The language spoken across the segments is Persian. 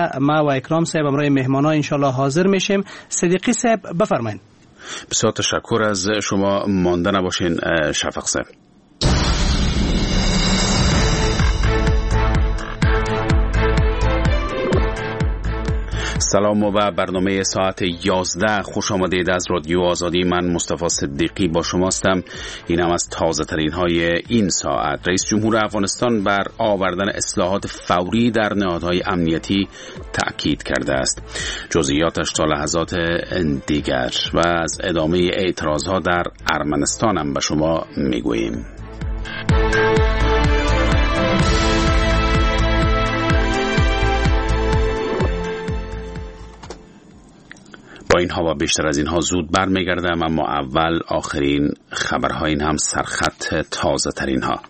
11 ما و اکرام صاحب همراه مهمان‌ها انشالله حاضر میشیم. صدیقی صاحب بفرمایید. بسیار تشکر از شما، مانده نباشین شفق صاحب. سلام و به برنامه ساعت 11 خوش آمدید از رادیو آزادی. من مصطفی صدیقی با شما هستم. این هم از تازه ترین های این ساعت. رئیس جمهور افغانستان بر آوردن اصلاحات فوری در نهادهای امنیتی تأکید کرده است. جزئیاتش تا لحظات دیگر. و از ادامه اعتراض ها در ارمنستان هم به شما میگوییم. با اینها و بیشتر از اینها زود برمیگردم، اما اول آخرین خبرها، این هم سرخط تازه ترین ها.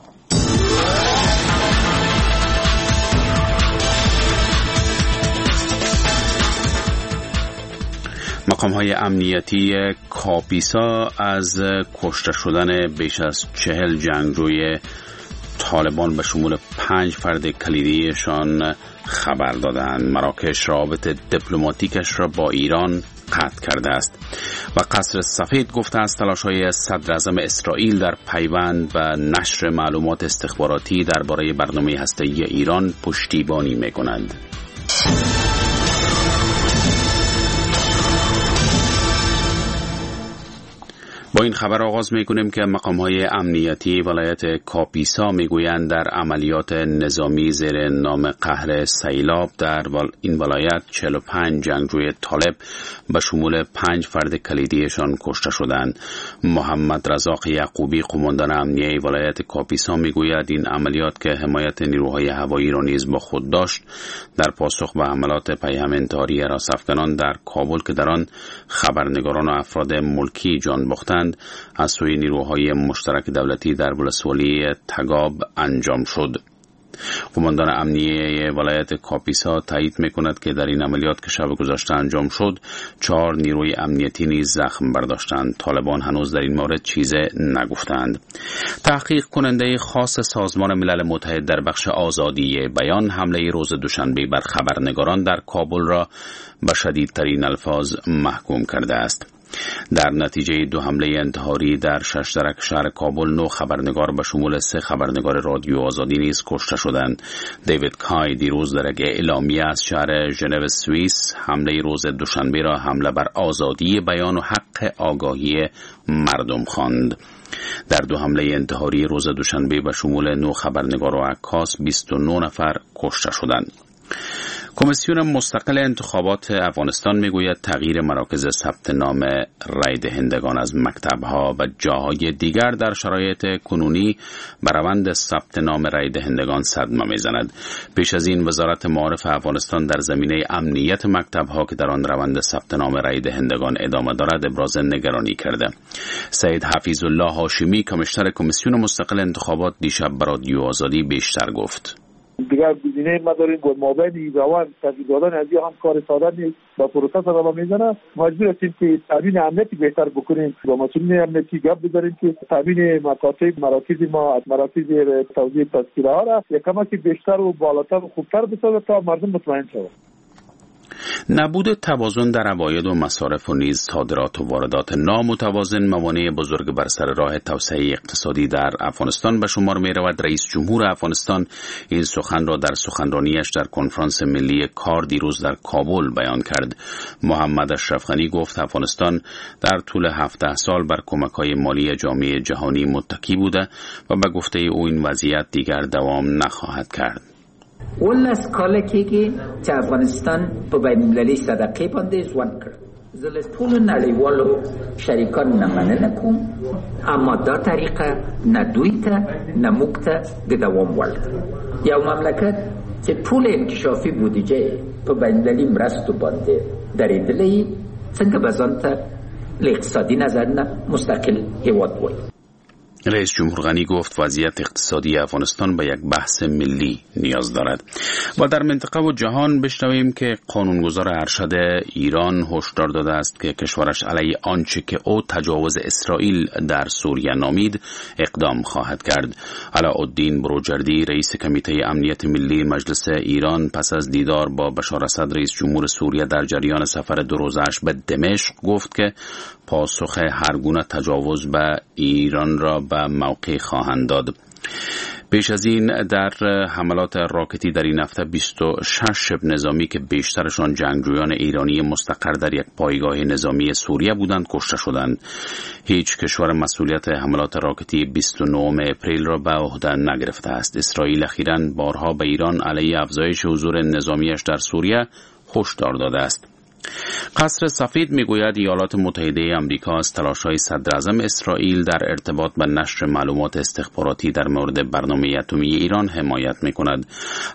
مقام های امنیتی کاپیسا از کشته شدن بیش از 40 جنگجوی طالبان به شمول 5 فرد کلیدیشان خبر دادند. مراکش رابط دیپلماتیکش را با ایران قطع کرده است. و قصر سفید گفته است تلاش‌های صدراعظم اسرائیل در پیوند و نشر معلومات استخباراتی درباره برنامه هسته‌ای ایران پشتیبانی می‌کنند. با این خبر آغاز می‌کنیم که مقام‌های امنیتی ولایت کاپیسا می‌گویند در عملیات نظامی زیر نام قهر سیلاب در این ولایت 45 جنگجوی طالب به شمول 5 فرد کلیدیشان کشته شدند. محمد رزاق یعقوبی قماندان امنیه ولایت کاپیسا می‌گوید این عملیات که حمایت نیروهای هوایی را نیز با خود داشت، در پاسخ به حملات پیهم انتحاری هراس‌افکنان در کابل که در آن خبرنگاران و افراد ملکی جان باختند، از سوی نیروهای مشترک دولتی در ولسوالی تگاب انجام شد. قماندان امنیه ولایت کاپیسا تایید میکند که در این عملیات که شب گذشته انجام شد، 4 نیروی امنیتی نیز زخم برداشتند. طالبان هنوز در این مورد چیز نگفتند. تحقیق کننده خاص سازمان ملل متحد در بخش آزادی بیان حمله روز دوشنبه بر خبرنگاران در کابل را به شدیدترین الفاظ محکوم کرده است. در نتیجه 2 حمله انتحاری در 6 درک شهر کابل 9 خبرنگار به شمول 3 خبرنگار رادیو آزادی نیز کشته شدند. دیوید کای دیروز در یک اعلامیه از شهر ژنو سوئیس حمله روز دوشنبه را حمله بر آزادی بیان و حق آگاهی مردم خواند. در 2 حمله انتحاری روز دوشنبه به شمول 9 خبرنگار و عکاس 29 نفر کشته شدند. کمیسیون مستقل انتخابات افغانستان میگوید تغییر مراکز ثبت نام رای دهندگان از مکتب‌ها و جاهای دیگر در شرایط کنونی به روند ثبت نام رای دهندگان صدمه میزند. پیش از این وزارت معارف افغانستان در زمینه امنیت مکتب‌ها که در آن روند ثبت نام رای دهندگان ادامه دارد ابراز نگرانی کرده. سید حفیظ الله هاشمی کمیشنر کمیسیون مستقل انتخابات دیشب به رادیو آزادی بیشتر گفت: دیگر گزینه ما داریم با مابین روان تغییر دادن از هم کار ساده نیست، با پروسه صدمه میزنه. مجبور هستیم که تامین امنیتی بهتر بکنیم، با مسئولین امنیتی گپ بزنیم که تامین مکاتب مراکز ما از مراکز توزیع تذکره ها را یک کمکی بیشتر و بالاتر و خوبتر بسازه تا مردم مطمئن شوند. نبود توازن در عواید و مصارف و نیز صادرات و واردات نامتوازن موانع بزرگ بر سر راه توسعه اقتصادی در افغانستان به شمار می رود. رئیس جمهور افغانستان این سخن را در سخنرانیش در کنفرانس ملی کار دیروز در کابل بیان کرد. محمد اشرف غنی گفت افغانستان در طول 17 سال بر کمک‌های مالی جامعه جهانی متکی بوده و به گفته او این وضعیت دیگر دوام نخواهد کرد. 19 کاله کېږي چې افغانستان په بین المللي صدقې باندې ژوند کړ. زه له ټولو نړیوالو شریکانو نه مننه کوم، اما دا طریقه نه دوی ته نه موږ ته د دوام وړ ده. یو مملکت چې ټول انکشافي بودیجه په بین المللي مرستو باندې درېدلی، څنګه به ځان ته له اقتصادي نظر نه مستقل هیواد وایي؟ رئیس جمهور غنی گفت وضعیت اقتصادی افغانستان به یک بحث ملی نیاز دارد. و در منطقه و جهان بشنویم که قانونگذار ارشد ایران هشدار داده است که کشورش علیه آنچه که او تجاوز اسرائیل در سوریه نامید اقدام خواهد کرد. علاءالدین بروجردی رئیس کمیته امنیت ملی مجلس ایران پس از دیدار با بشار اسد رئیس جمهور سوریه در جریان سفر 2 روزه‌اش به دمشق گفت که پاسخ هرگونه تجاوز به ایران را به موقع خواهند داد. پیش از این در حملات راکتی در این هفته 26 شبه نظامی که بیشترشان جنگجویان ایرانی مستقر در یک پایگاه نظامی سوریه بودند کشته شدند. هیچ کشور مسئولیت حملات راکتی 29 اپریل را به عهده نگرفته است. اسرائیل اخیراً بارها به ایران علیه افزایش حضور نظامیش در سوریه هشدار داده است. قصر سفید میگوید ایالات متحده آمریکا از تلاش‌های صدراعظم اسرائیل در ارتباط با نشر معلومات استخباراتی در مورد برنامه اتمی ایران حمایت میکند.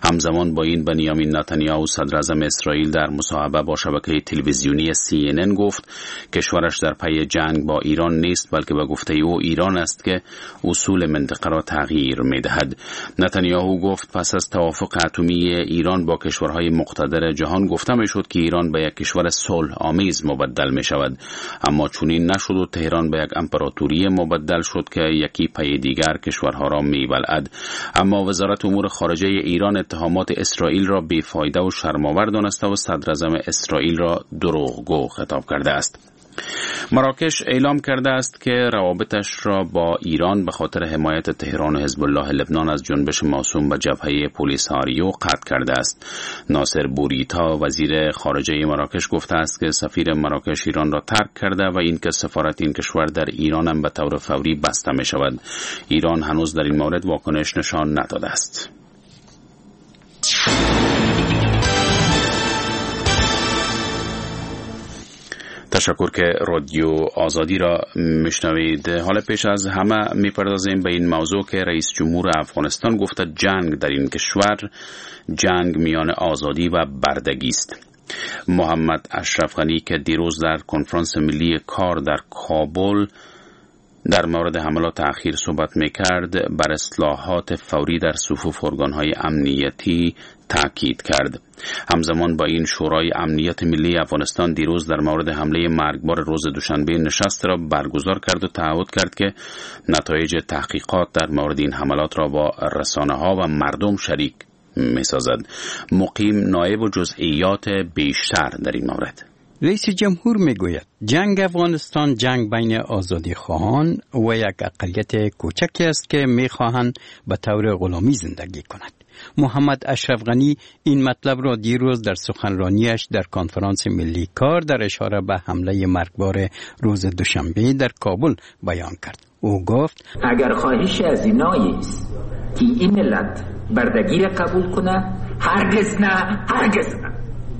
همزمان با این بنیامین نتانیاهو صدراعظم اسرائیل در مصاحبه با شبکه تلویزیونی CNN گفت کشورش در پی جنگ با ایران نیست، بلکه به گفته او ایران است که اصول منطقه را تغییر میدهد. نتانیاهو گفت پس از توافق اتمی ایران با کشورهای مقتدر جهان گفته میشد که ایران به یک کشور صلح آمیز مبدل می شود، اما چنین نشد و تهران به یک امپراتوری مبدل شد که یکی پی دیگر کشورها را می بلعد. اما وزارت امور خارجه ایران اتهامات اسرائیل را بی‌فایده و شرم‌آور دانسته و صدراعظم اسرائیل را دروغگو خطاب کرده است. مراکش اعلام کرده است که روابطش را با ایران به خاطر حمایت تهران و حزب الله لبنان از جنبش موسوم به جبهه پولیساریو قطع کرده است. ناصر بوریتا وزیر خارجه مراکش گفته است که سفیر مراکش ایران را ترک کرده و اینکه سفارت این کشور در ایران هم به طور فوری بسته می شود. ایران هنوز در این مورد واکنش نشان نداده است. تشکر که رادیو آزادی را میشنوید. حالا پیش از همه میپردازیم به این موضوع که رئیس جمهور افغانستان گفته جنگ در این کشور جنگ میان آزادی و بردگی است. محمد اشرف غنی که دیروز در کنفرانس ملی کار در کابل در مورد حملات اخیر صحبت میکرد، بر اصلاحات فوری در صفوف ارگان‌های امنیتی تاکید کرد. همزمان با این شورای امنیت ملی افغانستان دیروز در مورد حمله مرگبار روز دوشنبه نشست را برگزار کرد و تعهد کرد که نتایج تحقیقات در مورد این حملات را با رسانه‌ها و مردم شریک می‌سازد. مقیم نایب و جزئیات بیشتر در این مورد. رئیس جمهور میگوید جنگ افغانستان جنگ بین آزادی خواهان و یک اقلیت کوچکی است که میخواهند به طور غلامی زندگی کند. محمد اشرف غنی این مطلب را دیروز در سخنرانیش در کنفرانس ملی کار در اشاره به حمله مرگبار روز دوشنبه در کابل بیان کرد. او گفت اگر خواهش از اینایی است که این ملت بردگی را قبول کنه، هرگز نه، هرگز نه.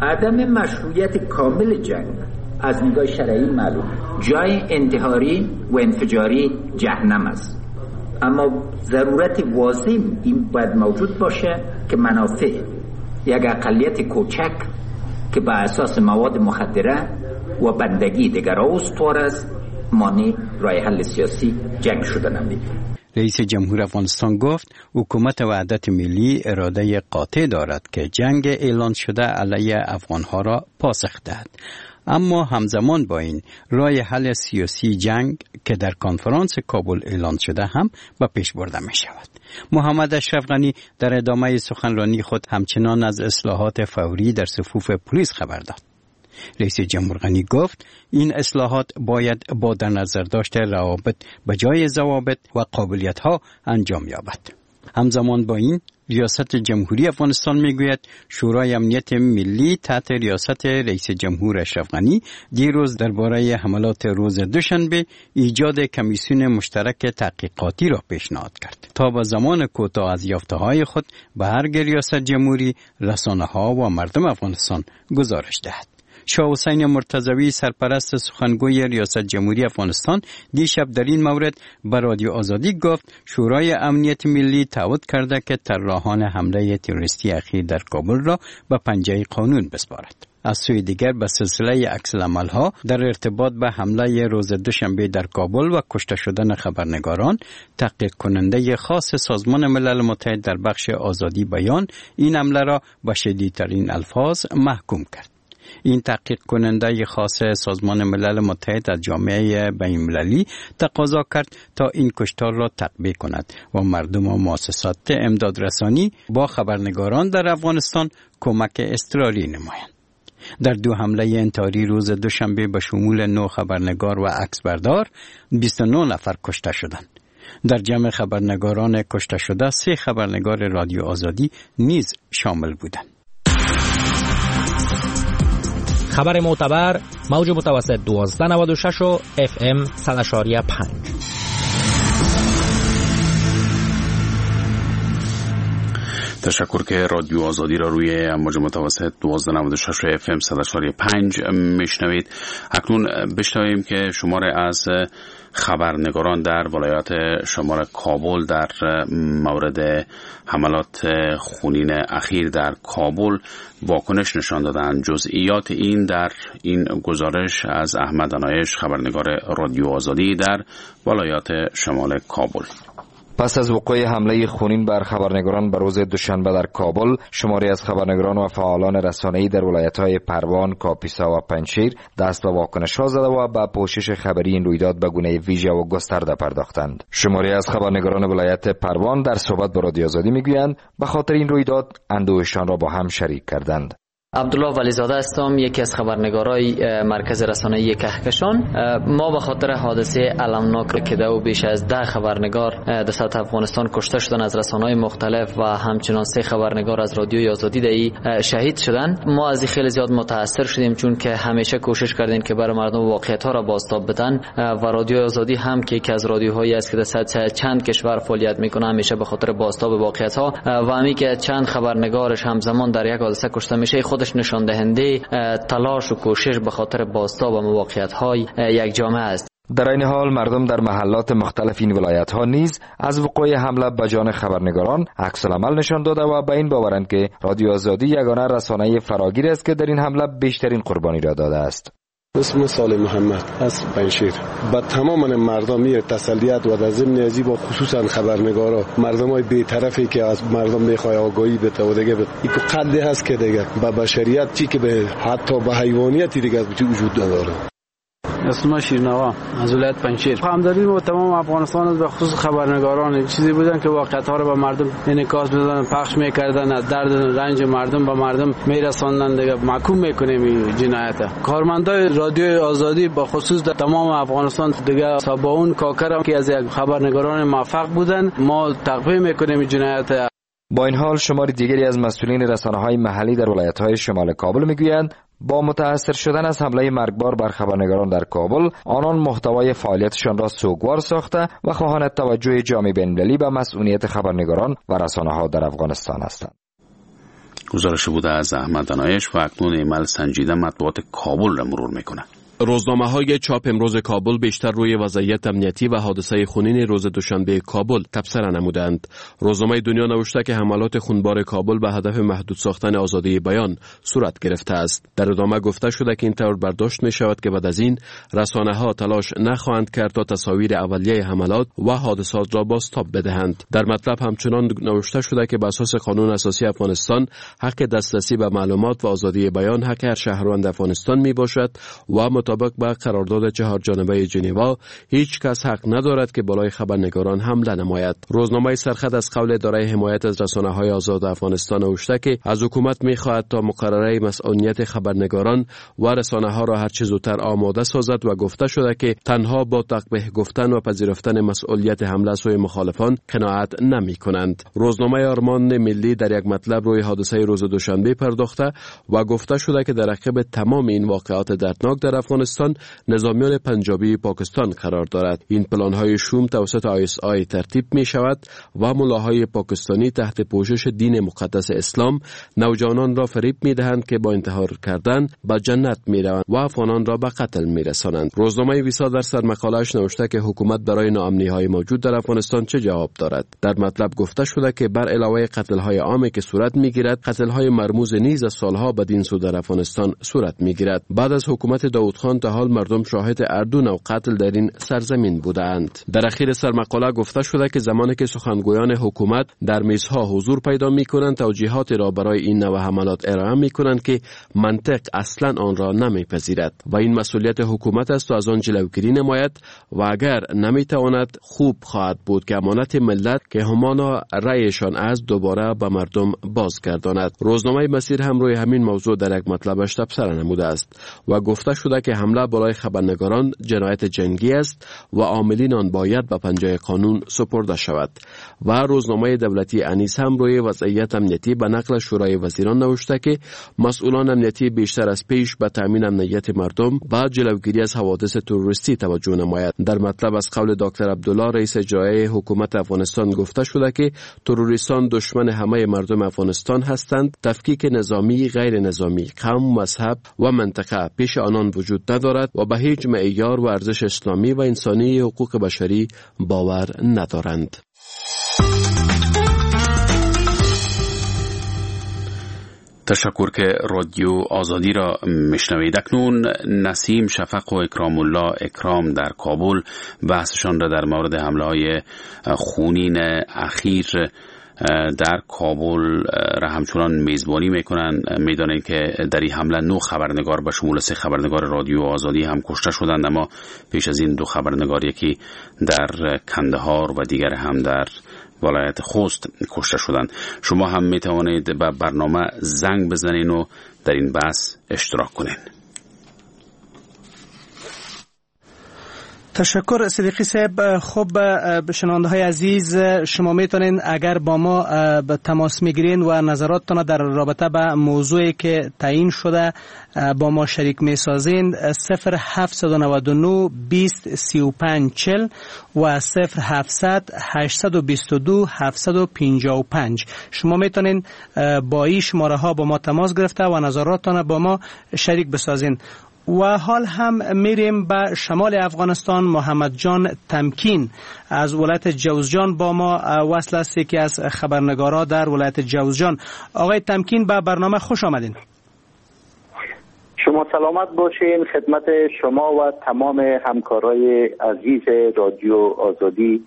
عدم مشروعیت کامل جنگ از نگاه شرعی معلوم، جای انتحاری و انفجاری جهنم است، اما ضرورت واضح این باید موجود باشه که منافع یک اقلیت کوچک که به اساس مواد مخدره و بندگی دیگرها استوار است مانع راه حل سیاسی جنگ شده نمیده. رئیس جمهور افغانستان گفت حکومت وحدت ملی اراده قاطع دارد که جنگ اعلان شده علیه افغانها را پاسخ دهد، اما همزمان با این راه حل سیاسی جنگ که در کنفرانس کابل اعلان شده هم به پیش برده می شود. محمد اشرف غنی در ادامه سخنرانی خود همچنان از اصلاحات فوری در صفوف پلیس خبر داد. رئیس جمهور غنی گفت این اصلاحات باید با در نظر داشت روابط به جای ضوابط و قابلیت ها انجام یابد. همزمان با این ریاست جمهوری افغانستان میگوید شورای امنیت ملی تحت ریاست رئیس جمهور اشرف غنی دیروز درباره حملات روز دوشنبه ایجاد کمیسیون مشترک تحقیقاتی را پیشنهاد کرد تا به زمان کوتاه از یافته‌های خود به هر ریاست جمهوری، رسانه‌ها و مردم افغانستان گزارش دهد. شاه حسین مرتضوی سرپرست سخنگوی ریاست جمهوری افغانستان دیشب در این مورد به رادیو آزادی گفت شورای امنیت ملی تعهد کرده که طراحان حمله تروریستی اخیر در کابل را به پنجه قانون بسپارد. از سوی دیگر به سلسله عکس‌العمل‌ها در ارتباط به حمله روز دوشنبه در کابل و کشته شدن خبرنگاران، تحقیق کننده خاص سازمان ملل متحد در بخش آزادی بیان این حمله را به شدیدترین الفاظ محکوم کرد. این تحقیق کننده خاص سازمان ملل متحد از جامعه بین المللی تقاضا کرد تا این کشتار را تقبیح کند و مردم و مؤسسات امدادرسانی با خبرنگاران در افغانستان کمک اضطراری نمایند. در دو حمله انتحاری روز دوشنبه به شمول 9 خبرنگار و عکسبردار 29 نفر کشته شدند. در جمع خبرنگاران کشته شده 3 خبرنگار رادیو آزادی نیز شامل بودند. خبر معتبر، موج متوسط 1296 و اف ام 100.5. تشکر که رادیو آزادی را روی موج متوسط 1296 اف ام 100.5 میشنوید. اکنون بشنویم که شمار از خبرنگاران در ولایت شمال کابل در مورد حملات خونین اخیر در کابل واکنش نشان دادند. جزئیات این در این گزارش از احمد انایش، خبرنگار رادیو آزادی در ولایت شمال کابل. پس از وقوع حمله خونین بر خبرنگاران به روز دوشنبه در کابل، شماری از خبرنگاران و فعالان رسانه‌ای در ولایت‌های پروان، کاپیسا و پنجشیر دست به واکنش‌ها زده و به پوشش خبری این رویداد به گونه ویژه و گسترده پرداختند. شماری از خبرنگاران ولایت پروان در صحبت با رادیو آزادی می‌گویند به خاطر این رویداد اندوهشان را با هم شریک کردند. عبدالله ولیزاده هستم، یکی از خبرنگارای مرکز رسانه‌ای کهکشان. ما به خاطر حادثه المناک که دو بیش از 10 خبرنگار در سطح افغانستان کشته شدن از رسانه‌های مختلف و همچنان 3 خبرنگار از رادیوی آزادی دهی شهید شدن، ما از این خیلی زیاد متاثر شدیم، چون که همیشه کوشش کردیم که برای مردم واقعیت‌ها را بازتاب بدن و رادیوی آزادی هم که یکی از رادیوهایی است که در سطح چند کشور فعالیت میکنه، همیشه به خاطر بازتاب واقعیت‌ها و همین که چند خبرنگارش همزمان در یک حادثه کشته میشه، خودش نشان دهنده تلاش و کوشش به خاطر بازتاب واقعیت‌های یک جامعه است. در این حال مردم در محلات مختلف این ولایت‌ها نیز از وقوع حمله به جان خبرنگاران عکس العمل نشان داده و به این باورند که رادیو آزادی یگانه رسانه فراگیر است که در این حمله بیشترین قربانی را داده است. اسم صالح محمد از پنجشیر. به تمام مردم می تسلیت و در ضمن ازی با خصوصا خبرنگارا، مردمای بی‌طرفی که از مردم میخوای آگاهی بده و دیگه یک قدری هست که دیگه به بشریت چی که به حتی به حیوانیت دیگه وجود نداره. اسم شیرنوا از ولایت پنجشیر. همدردی با تمام افغانستان است، به خصوص خبرنگاران، چیزی بودن که واقعیت ها رو به مردم انعکاس میدادن، پخش میکردن، از درد و رنج مردم به مردم میرساندن. دیگه محکوم میکنیم این جنایت. کارمندای رادیو آزادی به خصوص در تمام افغانستان دیگه سباون کاکر که از یک خبرنگاران موفق بودن، ما تقبیح میکنیم این جنایت. با این حال شمار دیگری از مسئولین رسانه‌های محلی در ولایت‌های شمال کابل میگویند با متاثر شدن از حمله مرگبار بر خبرنگاران در کابل، آنان محتوای فعالیتشان را سوگوار ساخته و خواهان توجه جامعه بین‌المللی به مسئولیت خبرنگاران و رسانه‌ها در افغانستان هستند. گزارش بوده از احمد دانایش و اکنون ایمل سنجیده مطبوعات کابل را مرور میکنه. روزنامه های چاپ امروز کابل بیشتر روی وضعیت امنیتی و حادثه خونین روز دوشنبه کابل تبصره نمودند. روزنامه دنیا نوشته که حملات خونبار کابل به هدف محدود ساختن آزادی بیان صورت گرفته است. در ادامه گفته شده که این طور برداشت می شود که بعد از این رسانه ها تلاش نخواهند کرد تا تصاویر اولیه حملات و حادثات را بازتاب بدهند. در مطلب همچنان نوشته شده که به اساس قانون اساسی افغانستان حق دسترسی به معلومات و آزادی بیان حق هر شهروند افغانستان می باشد و مطابق به قرارداد 4 جانبه ژنوا هیچ کس حق ندارد که بالای خبرنگاران حمله نماید. روزنامه سرخط از قول اداره حمایت از رسانه‌های آزاد افغانستان نوشته که از حکومت می‌خواهد تا مقرره مسئولیت خبرنگاران و رسانه‌ها را هر چه زودتر آماده سازد و گفته شده که تنها با تقبیح گفتن و پذیرفتن مسئولیت حمله سوی مخالفان قناعت نمی‌کنند. روزنامه آرمان ملی در یک مطلب روی حادثه روز دوشنبه پرداخته و گفته شده که در عقب تمام این واقعات دردناک در افغانستان نظامیان پنجابی پاکستان قرار دارد. این پلان‌های شوم توسط ISI ترتیب می شود و ملاهای پاکستانی تحت پوشش دین مقدس اسلام نوجوانان را فریب می دهند که با انتحار کردن به جنت می روند و افغانان را به قتل می رسانند. روزنامه ویسا در سرمقاله‌اش نوشته که حکومت برای ناامنی‌های موجود در افغانستان چه جواب دارد. در مطلب گفته شده که بر علاوه قتل‌های عامی که صورت می‌گیرد، قتل‌های مرموز نیز از سالها بدین سو در افغانستان صورت می‌گیرد. بعد از حکومت داوود خان تا حال مردم شاهد اردو نوع قتل در این سرزمین بودند. در اخیر سرمقاله گفته شده که زمانی که سخنگویان حکومت در میزها حضور پیدا می‌کنند، توجیهات را برای این نوع حملات ارائه می‌کنند که منطق اصلاً آن را نمی‌پذیرد و این مسئولیت حکومت است و از آن جلوگیری نماید و اگر نمی‌تواند خوب خواهد بود که امانت ملت که همانا رأیشان از دوباره به مردم بازگرداند. روزنامه مسیر هم روی همین موضوع در یک مطلبش تبصره نموده است و گفته شده که حمله بالای خبرنگاران جنایت جنگی است و عاملین آن باید به پنجه قانون سپرده شود. و روزنامه دولتی انیس هم روی وضعیت امنیتی به نقل شورای وزیران نوشته که مسئولان امنیتی بیشتر از پیش به تامین امنیت مردم و جلوگیری از حوادث تروریستی توجه نماید. در مطلب از قول دکتر عبدالله رئیس اجرایی حکومت افغانستان گفته شده که تروریستان دشمن همه مردم افغانستان هستند. تفکیک نظامی، غیر نظامی، قوم، مذهب و منطقه پیش آنان وجود ندارد و به هیچ معیار و ارزش اسلامی و انسانی حقوق بشری باور ندارند. تشکر که رادیو آزادی را میشنوید. اکنون نسیم شفق و اکرام الله اکرام در کابل بحثشان را در مورد حمله های خونین اخیر در کابل را همچنان میزبانی میکنن. میدانید که در این حمله 9 خبرنگار به شمول 3 خبرنگار رادیو آزادی هم کشته شدند، اما پیش از این 2 خبرنگار، یکی در کندهار و دیگر هم در ولایت خوست کشته شدند. شما هم می توانید به برنامه زنگ بزنین و در این بحث اشتراک کنین. تشکر صدیقی صاحب. خب شنونده های عزیز، شما میتونین اگر با ما به تماس میگیرین و نظراتتون در رابطه به موضوعی که تعیین شده با ما شریک میسازین، 0799 20 35 40 و 0700 822 755 شما میتونین با این شماره ها با ما تماس گرفته و نظراتتون با ما شریک بسازین. و حال هم میریم به شمال افغانستان. محمد جان تمکین از ولایت جوزجان با ما وصل است، یکی از خبرنگارا در ولایت جوزجان. آقای تمکین، به برنامه خوش آمدین. شما سلامت باشین. خدمت شما و تمام همکارای عزیز رادیو آزادی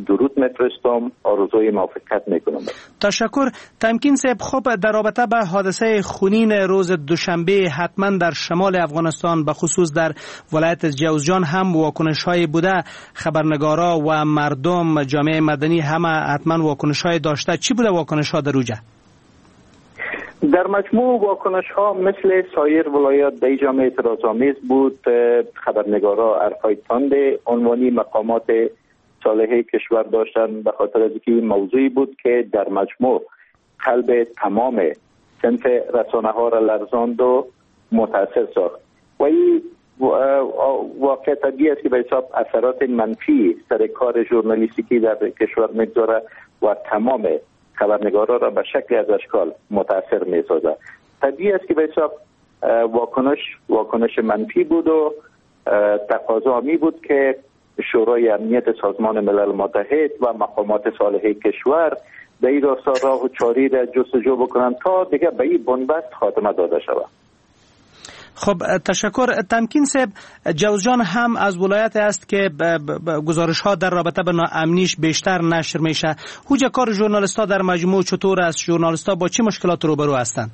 درود میفرستم، آرزوی موفقیت میکنم. تشکر تمکین صاحب. خب در رابطه به حادثه خونین روز دوشنبه حتما در شمال افغانستان به خصوص در ولایت جوزجان هم واکنش های بوده، خبرنگارا و مردم، جامعه مدنی همه حتما واکنش های داشته. چی بوده واکنش ها در اوجه؟ در مجموع واکنش ها مثل سایر ولایات در جامعه اعتراض آمیز بود. خبرنگارا حرفای تند عنوانی مقامات صالح کشور داشتن، به خاطر از اینکه موضوعی بود که در مجموع قلب تمام صنف رسانه ها را لرزاند و متاثر ساخت و این واقع طبیعی است که به حساب اثرات منفی سر کار ژورنالیستیکی در کشور میگذاره و تمام خبرنگارا را به شکلی از اشکال متاثر میسازد. طبیعی است که به حساب واکنش منفی بود و تقاضا می بود که شورای امنیت سازمان ملل متحد و مقامات صالح کشور در این راستا راه و چاری را جستجو بکنند تا دیگه به این بنبست خاتمه داده شود. خب تشکر تمکین صاحب. جوزجان هم از ولایت است که گزارش ها در رابطه به ناامنیش بیشتر نشر میشه. هوجه کار ژورنالیست ها در مجموع چطور است؟ ژورنالیست ها با چه مشکلات روبرو هستند؟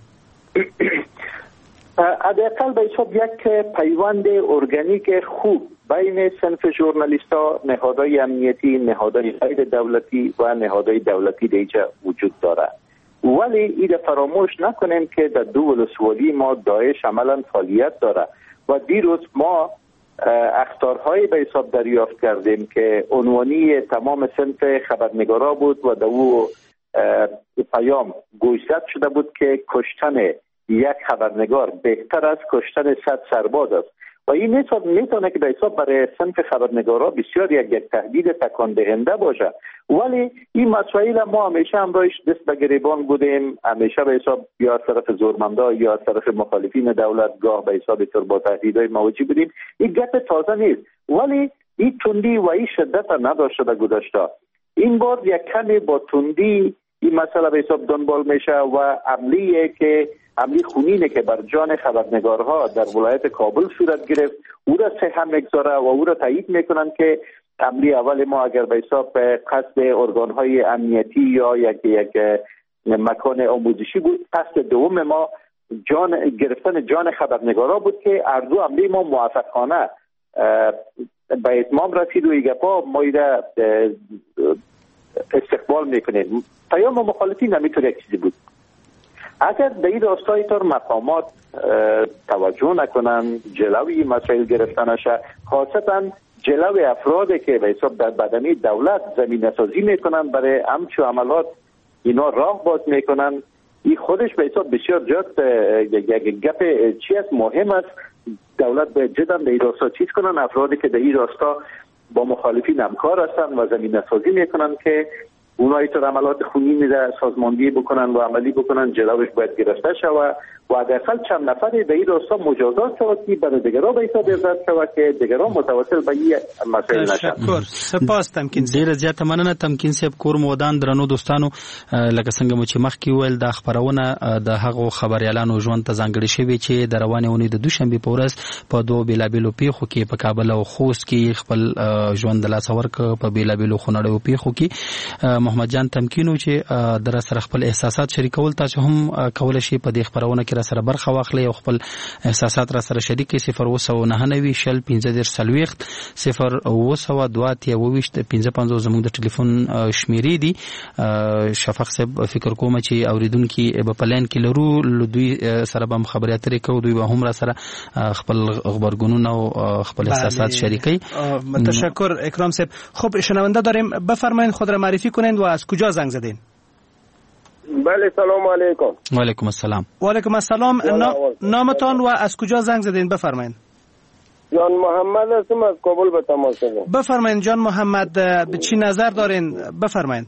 حداقل به حساب یک پیوند ارگانیک خوب بین صنف ژورنالیست‌ها، نهادهای امنیتی، نهادهای غیر دولتی و نهادهای دولتی دیگه وجود داره. ولی ایده فراموش نکنیم که در دو ولسوالی ما داعش عملا فعالیت داره و دیروز ما اخطارهای به حساب دریافت کردیم که عنوانی تمام صنف خبرنگارا بود و در او پیام گوشزد شده بود که کشتن یک خبرنگار بهتر از کشتن 100 سرباز است و این میتونه که به حساب برای صنف خبرنگارا بسیار یک تهدید تکان دهنده باشه. ولی این مسائل ما همیشه همراهش دست به گریبان بودیم، همیشه به حساب یا از طرف زورمندا یا از طرف مخالفین دولت گاه به حساب تر با تهدیدهای مواجه بودیم. این گپ تازه نیست، ولی این تندی و این شدت نداشته در گذشته. این بار یک کمی با تندی این مسئله به حساب دنبال میشه و عملیه که عملی خونینه که بر جان خبرنگارها در ولایت کابل صورت گرفت او را سهم میگذاره و او را تایید میکنن که عملی اول ما اگر به حساب قصد ارگانهای امنیتی یا یک مکان آموزشی بود، قصد دوم ما جان گرفتن جان خبرنگارها بود که هر دو عملی ما موفقانه به اتمام رسید و ایگپا ما ایره استقبال میکنیم. پیام مخالفین نمیتونه یک چیزی بود. اگر به این راستای طور مقامات توجه نکنن، جلوی مسائل گرفتن نشه، خاصتا جلوی افرادی که به حساب در بدنی دولت زمینه سازی میکنن برای همچو عملات، اینا راه باز میکنن، این خودش به حساب بسیار جات یک گپ چی است مهم است. دولت باید جدا به این راستا چیز کنن، افرادی که در این راستا با مخالفین همکار هستن و زمینه سازی میکنن که اونایی تو عملات خونی در سازماندهی بکنن و عملی بکنن، جلوش باید گرفته شود و حداقل چند نفری به این راستا مجازات شود که برای دیگران به حساب عبرت شود که دیگران متوسل به این مسائل نشن. تشکر، سپاس تمکین. ډیره زیاته مننه تمکین صاحب. کور مو ودان. درنو دوستانو، لکه څنګه مو چې مخکې وویل دا خپرونه د هغو خبریالانو ژوند ته ځانګړې شوې چې د روانې اونۍ د دوشنبې په ورځ په دوو بېلابېلو پیښو کې په کابل او خوست کې خپل ژوند د لاسه ورکړ. په بېلابېلو خونړیو پیښو کې محمد جان تمکینو چې در سره خپل احساسات شریکول، تاسو هم کولای شئ په دې خپرونه کې را سره برخه واخلئ او خپل احساسات را سره شریک کړئ. 099 شل 15 40 0 0 2 زموږ د ټلیفون شمیرې دي. شفق صاحب فکر کوم چې اوریدونکي به په لاین کې لرو، له دوی سره به هم خبرې اترې کوو، دوی به هم را سره خپل غبرګونونه او خپل احساسات شریکوي. تشکر اکرام صاحب. خب شنونده داریم، بفرمایید خود را معرفی کنید و از کجا زنگ زدین؟ بله، سلام علیکم. و علیکم السلام. و علیکم السلام. نامتان و از کجا زنگ زدین بفرمایید؟ جان محمد هستم، از کابل به تماس هستم. بفرمایید جان محمد، به چی نظر دارین؟ بفرمایید.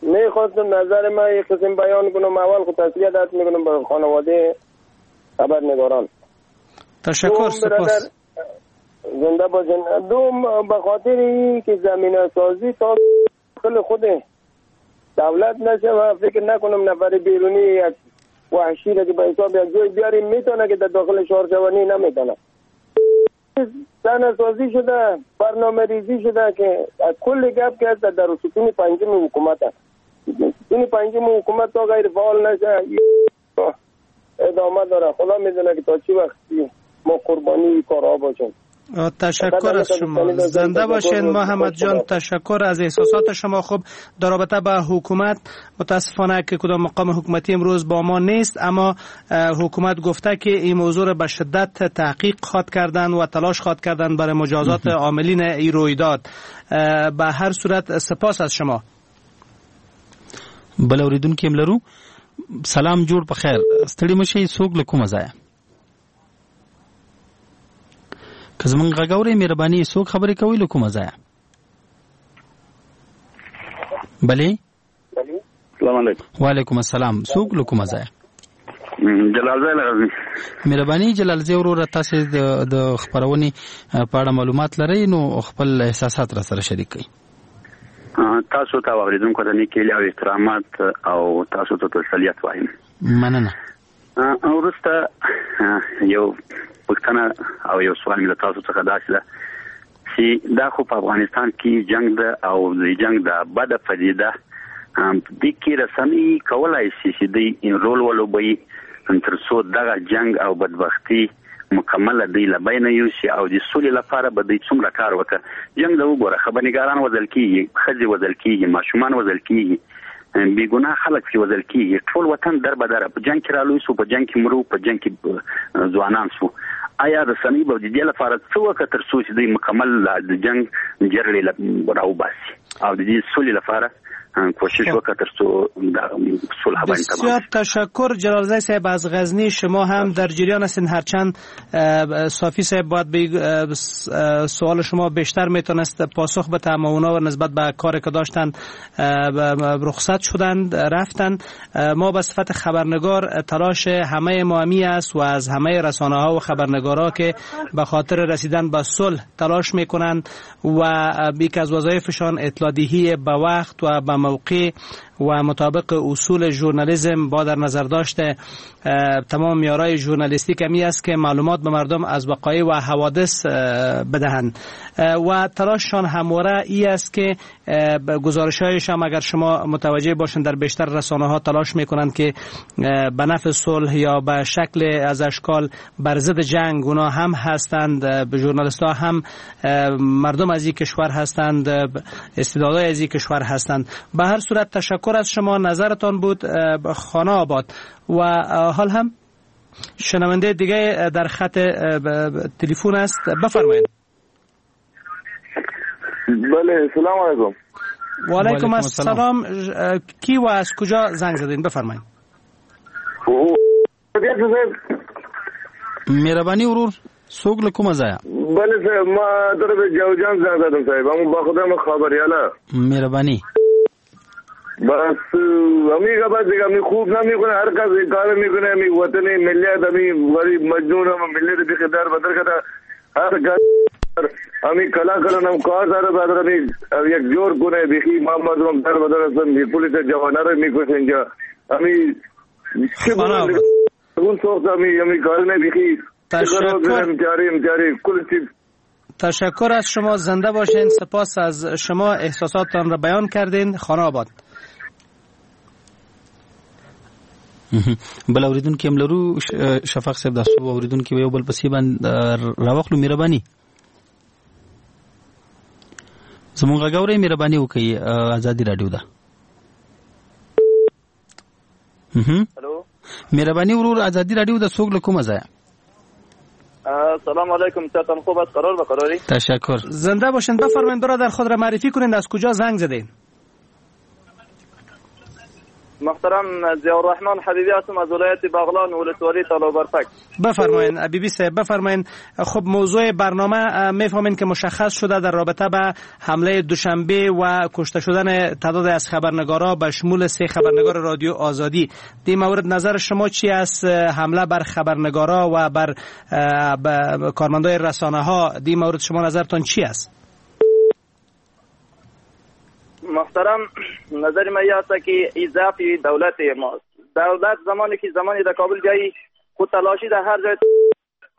میخواستم نظر من یک قسم بیان کنم. اول خود تسلیت عرض میکنم به خانواده خبرنگاران. تشکر، سپاس. زنده باشین. دوم به خاطر این که زمینه سازی تا داخل خود دولت نشه و فکر نکنم نفر بیرونی یک وحشی را که به حساب یک جای بیاریم میتونه که در داخل شهر شوانی نمیتونه. سازی شده، برنامه ریزی شده که از کل گپ که هست در ستون پنجم حکومت است. ستون پنجم حکومت تا غیر فعال نشه ادامه داره. خدا میدونه که تا چی وقتی ما قربانی کارها باشیم. تشکر از شما، زنده باشین محمد جان. تشکر از احساسات شما. خب در رابطه با حکومت متاسفانه که کدام مقام حکومتی امروز با ما نیست، اما حکومت گفته که این موضوع را به شدت تحقیق خواد کردن و تلاش خواد کردن برای مجازات عاملین این رویداد. به هر صورت سپاس از شما. بل اوریدونکي هم لرو. سلام، جوړ په خیر، ستړي مشي. څوک له کومه ځایه؟ که زمونږ غږ اورئ مهرباني، څوک خبرې کوي له کومه ځایه؟ بله، السلام علیکم. وعلیکم السلام. څوک له کومه ځایه؟ جلالزی له غزني. مهرباني جلالزی وروره، تاسو د خپرونې په اړه معلومات لرئ نو خپل احساسات را سره شریک کړئ. تاسو ته اوریدونکو ته نیکې هیلې او احترامات او تاسو ته تسلیت وایم. مننه. وروسته یو پوښتنه او یو سوال مې له تاسو څخه داسې ده چې دا خو په افغانستان کې جنگ ده او د جنگ د بده پدیده دې کې رسنۍ کولای شي چې دوی رول ولوبوي تر څو دغه جنگ او بدبختي مکمله دی له بینه یوسي او د سولې لپاره به دوی څومره کار وکړي. جنگ ده وګوره، خبرنګاران وژل کېږي، ښځې وژل کېږي، ماشومان وژل کېږي، بې ګناه خلک پرې وژل کېږي، ټول وطن در به در په جنگ کې رالوی سو، په جنگ کې مرو، په جنگ کې ځوانان سو. آیا رسنۍ به د دې لپاره څه وکړه تر څو چې دوی مکمل د جنگ جرړې راوباسي او د دې سولې لپاره کوشش وکړه ترڅو دا صلح باندې تمام. بسیار تشکر جلالزی صاحب از غزنی. شما هم در جریان هستین، هرچند صافی صاحب باید به سوال شما بیشتر میتونست پاسخ بده، اما اونا و نسبت به کاری که داشتن رخصت شدند رفتن. ما به صفت خبرنگار تلاش همه ما است و از همه رسانه ها و خبرنگارا که به خاطر رسیدن به صلح تلاش میکنند و یکی از وظایفشان اطلاع دهی به وقت و به موقع و مطابق اصول ژورنالیسم با در نظر داشت تمام معیارهای ژورنالیستیک می است که معلومات به مردم از وقایع و حوادث بدهند و تلاششان همواره ای است که گزارش‌هایشان اگر شما متوجه باشند در بیشتر رسانه ها تلاش میکنند که به نفع صلح یا به شکل از اشکال بر ضد جنگ اونا هم هستند. ژورنالیست ها هم مردم از این کشور هستند، استعدادهای از این کشور هستند. به هر صورت تشکر از شما، نظرتان بود خانه آباد. و حال هم شنونده دیگه در خط تلفن است، بفرمایید. بله سلام علیکم. و علیکم السلام. کی و از کجا زنگ زدین؟ بفرمایید. مهرباني ورور، څوک له کومه ځایه؟ بله صاحب، ما در جوزجان زنگ زدم صاحب، همون با خودم خبریاله. مهربانی. بس امی کا بس امی خوب نمیکنه، هر کس کار میکنه، امی وطن ملت امی غریب مجنون هم ملت بی در بدر کده، هر کس امی کلا کلا نم کار داره بدر امی یک جور کنه بیخی ما مردم در بدر هستن، بی پولیس جوانا رو میکشه اینجا امی چه اون سوخت امی امی کار نه بیخی. تشکر از شما، زنده باشین. سپاس از شما، احساساتتان را بیان کردین. خانه آباد. بل اوریدونکي هم لرو شفق صاحب، دا څو اوریدونکي یو بل پسې باندې راوخلو. مهرباني زموږ غږ اورئ، مهرباني وکړئ. ازادي رادیو ده. مهرباني ورور، ازادي رادیو ده. څوک له کومه ځایه؟ سلام علیکم، چطور خوب است؟ قرار بقراری. تشکر، زنده باشین. بفرمایید برادر، خود را معرفی کنید، از کجا زنگ زدین؟ محترم ضیاءالرحمن حبیبی هستم از ولایت بغلان، ولسوالی تالابرفک. بفرمایید حبیبی صاحب، بفرمایید. خب موضوع برنامه میفهمین که مشخص شده در رابطه به حمله دوشنبه و کشته شدن تعداد از خبرنگارا به شمول 3 خبرنگار رادیو آزادی. دی مورد نظر شما چی است؟ حمله بر خبرنگارا و بر کارمندای رسانه ها، دی مورد شما نظرتان چی است؟ محترم نظر من این است که این ضعف دولت ماست. دولت زمانی که زمانی در کابل بیایی خود تلاشی در هر جای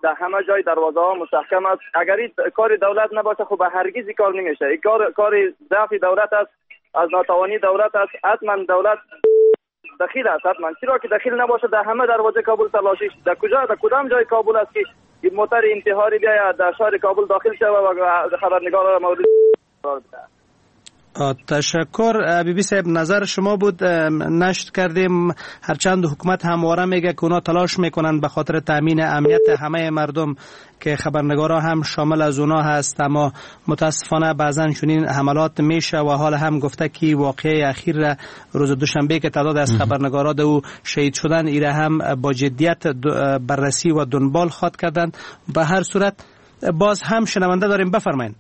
در همه جای دروازه ها مستحکم است. اگر این کار دولت نباشه خب هرگز این کار نمیشه. این کار ضعف دولت است، از ناتوانی دولت است. حتما دولت دخیل است، حتما. چرا که دخیل نباشه در همه دروازه کابل تلاشی در کجا در کدام جای کابل است که این موتر انتحاری بیاید در شهر کابل داخل شود و خبرنگار را مورد قرار بده. تشکر بی بی صاحب، نظر شما بود نشر کردیم. هرچند حکومت همواره میگه که اونا تلاش میکنن به خاطر تامین امنیت همه مردم که خبرنگارا هم شامل از اونا هست، اما متاسفانه بعضا چنین حملات میشه و حال هم گفته که واقعه اخیر را روز دوشنبه که تعداد از خبرنگارا دو شهید شدن ایره هم با جدیت بررسی و دنبال خواد کردند. به هر صورت باز هم شنونده داریم، بفرمایید.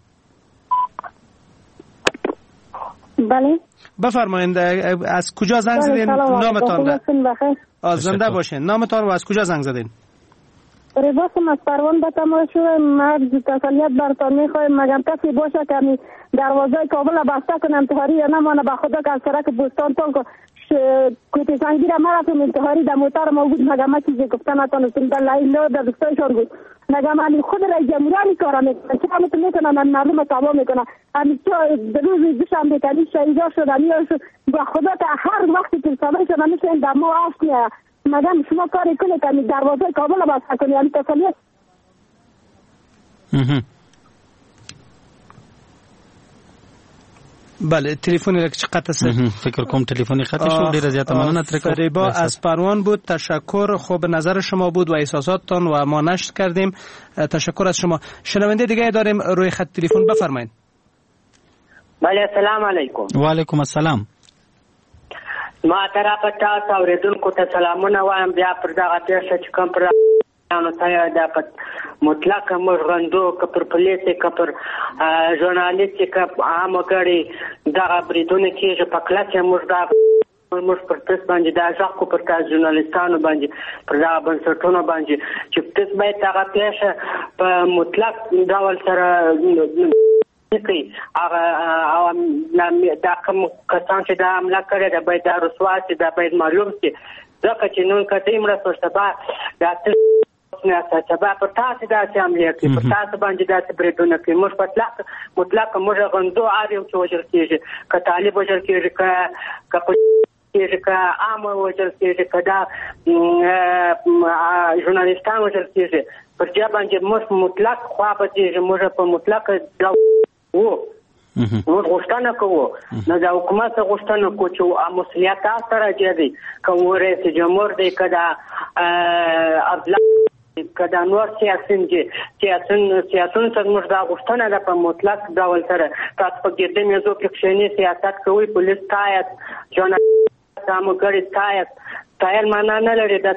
بله بفرمایید، از کجا زنگ زدین؟ نامتان را. زنده باشین. نامتان و از کجا زنگ زدین؟ رباسم از پروان به تماس شدم. مرز تسلیت برتان میخوایم، مگر کسی باشه که دروازه کابل بسته کنه انتحاری یا نمانه. به خدا که از سرک بوستان تا کوته سنگی را مرفتم انتحاری در موتر ما بود، مگر ما چیزی گفته نتانستم. در لیلا در دستایشان بود، مگر من خود رئیس جمهوری کار میکنه، چرا میکنه من مردم تباه میکنه. همین روز دوشنبه که شهیدا شد شد، با خدا که هر وقتی که صدای شد میشه در ما اشک میاد. مگر شما کاری کنید که دروازه کابل بسته کنید، یعنی تسلیت. بله تلفن را که قطع شد، فکر کوم تلفنی قطع شد. ډیره زیاته مننه ترې کوم. فریبا از پروان بود، تشکر. خب نظر شما بود و احساساتتان و ما نشر کردیم، تشکر از شما. شنونده دیگه داریم روی خط تلفن، بفرمایید. بله سلام علیکم. و علیکم السلام. ما طرفه تاسو اورېدونکو ته سلامونه وایم. بیا پر دغه پېښه چې کوم پر نو دا په مطلق موږ غندو، که پر پولیس، که پر ژورنالیست، که عام وګړي دغه بریدونه کېږي، په کلکه موږ دا موږ پر تاسو باندې دا غږ کو، پر تاسو ژورنالیستانو باندې، پر دغه بنسټونو باندې چې تاسو باید دغه پېښه په مطلق ډول سره کوي. هغه او دا کوم کسان چې دا حمله کړې ده باید دا رسوا شي، دا باید معلوم شي، ځکه چې نن که دوی مړه شول سبا دا سبا پر تاسو داسې حملې کوي، پر تاسو باندې داسې بریدونه کوي. موږ مطلق موږ غندو هر یو چې وژل کېږي، که طالب وژل کېږي، که کېږي، که عام وژل کېږي، که دا ژورنالیستان وژل کېږي، پر دې باندې موږ مطلق خوا بدېږي. موږ په مطلق ډول وو موږ غوښتنه کوو، نو د حکومت غوښتنه کوو چې مسؤلیت تاسو ته راجع دی، که رئیس جمهور دی، که دا عبدالله، که دا نور سیاسیون دي، سیاسیون څخه موږ دا غوښتنه ده په مطلق ډول سره تاسو په ګردې میزو کې کښېنئ، سیاست کوئ، پولیس ستایاست، ژورنالیست عام وګړي ستایاست. ستایل معنا نه لري، دا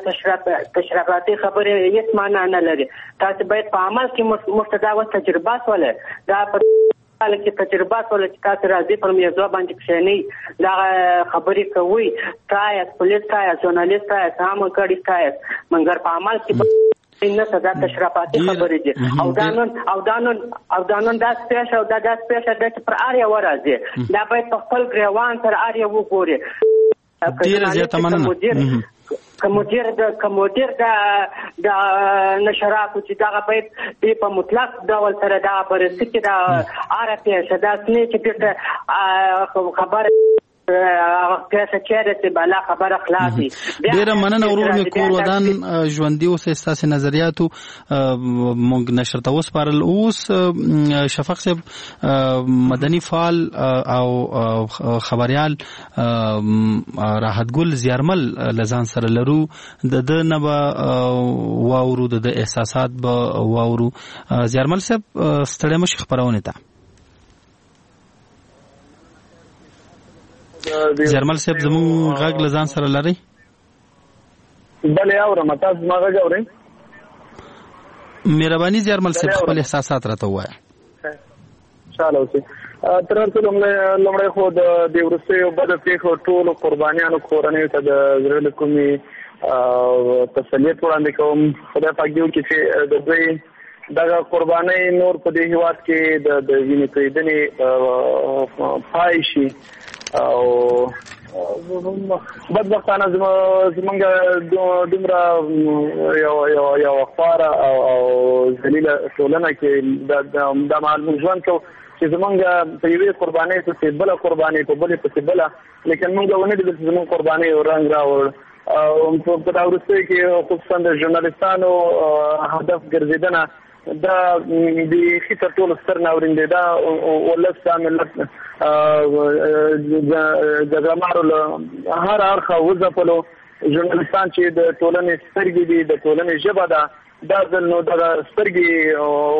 تشرفاتي خبرې هېڅ معنا نه لري. تاسو باید په عمل کې موږ ته دا اوس تجربه سوله، دا په کې تجربه سوله چې تاسو راځئ پر میزو باندې کښېنئ، دا خبرې کوئ، ستایاست، پولیس ستایاست، ژورنالیست ستایاست، عام وګړي ستایاست، مګر په عمل کې نه څه دا تشرفاتي خبرې دي. او دا نن داسې پېښه او دا داسې پېښه ده چې پر هر یوه راځي، دا باید په خپل ګرېوان سره هر یو وګوري. ډېره زیاته مننه. که مدیر د نشراتو چې دغه باید دې په مطلق ډول سره دا بررسي کې دا هره پېښه داسې نه چې بېرته خبره پېښه چېرې چې بلا خبره خلاصي. ډېره مننه ورور مې، کور ودان، ژوندي اوسئ. ستاسې نظریاتو موږ نشر ته وسپارل. اوس شفق صاحب، مدني فعال او خبریال راحت ګل زیارمل له ځان سره لرو، د ده نه به واورو، د ده احساسات به واورو. زیارمل صاحب، ستړی مه شئ خپرونې ته. زیارمل صاحب، زموږ غږ له ځان سره لرئ؟ بله اورم، تاسو زما غږ اورئ؟ مهرباني زیارمل صاحب، خپل احساسات راته ووایه. خوشحاله اوسئ. تر هر څه لومړی خو د دې وروستیو بدو پېښو ټولو قربانیانو کورنیو ته د زړه له کومې تسلیت وړاندې کوم. خدای پاک دې وکړي چې د دوی دغه قربانۍ نور په دې هیواد کې د وینې تویېدنې پای شي. او بدبختانه زمونږ دومره یو خواره او ذلیله ټولنه کې دا مهال موږ ژوند کوو چې زمونږ په یوې قربانۍ پسې بله قربانۍ، په بلې پسې بله، لیکن موږ ونه لیدل چې زمونږ قربانۍ یو رنګ راوړ. او په دا وروستیو کې خصوصا د ژورنالیستانو هدف ګرځېدنه دا بیخي تر ټولو ستر ناورین دی. دا ولس، دا ملت جګړه مارو له هر اړخه وځپلو. ژورنالیستان چې د ټولنې سترګې دي، د ټولنې ژبه ده، دا ځل نو دغه سترګې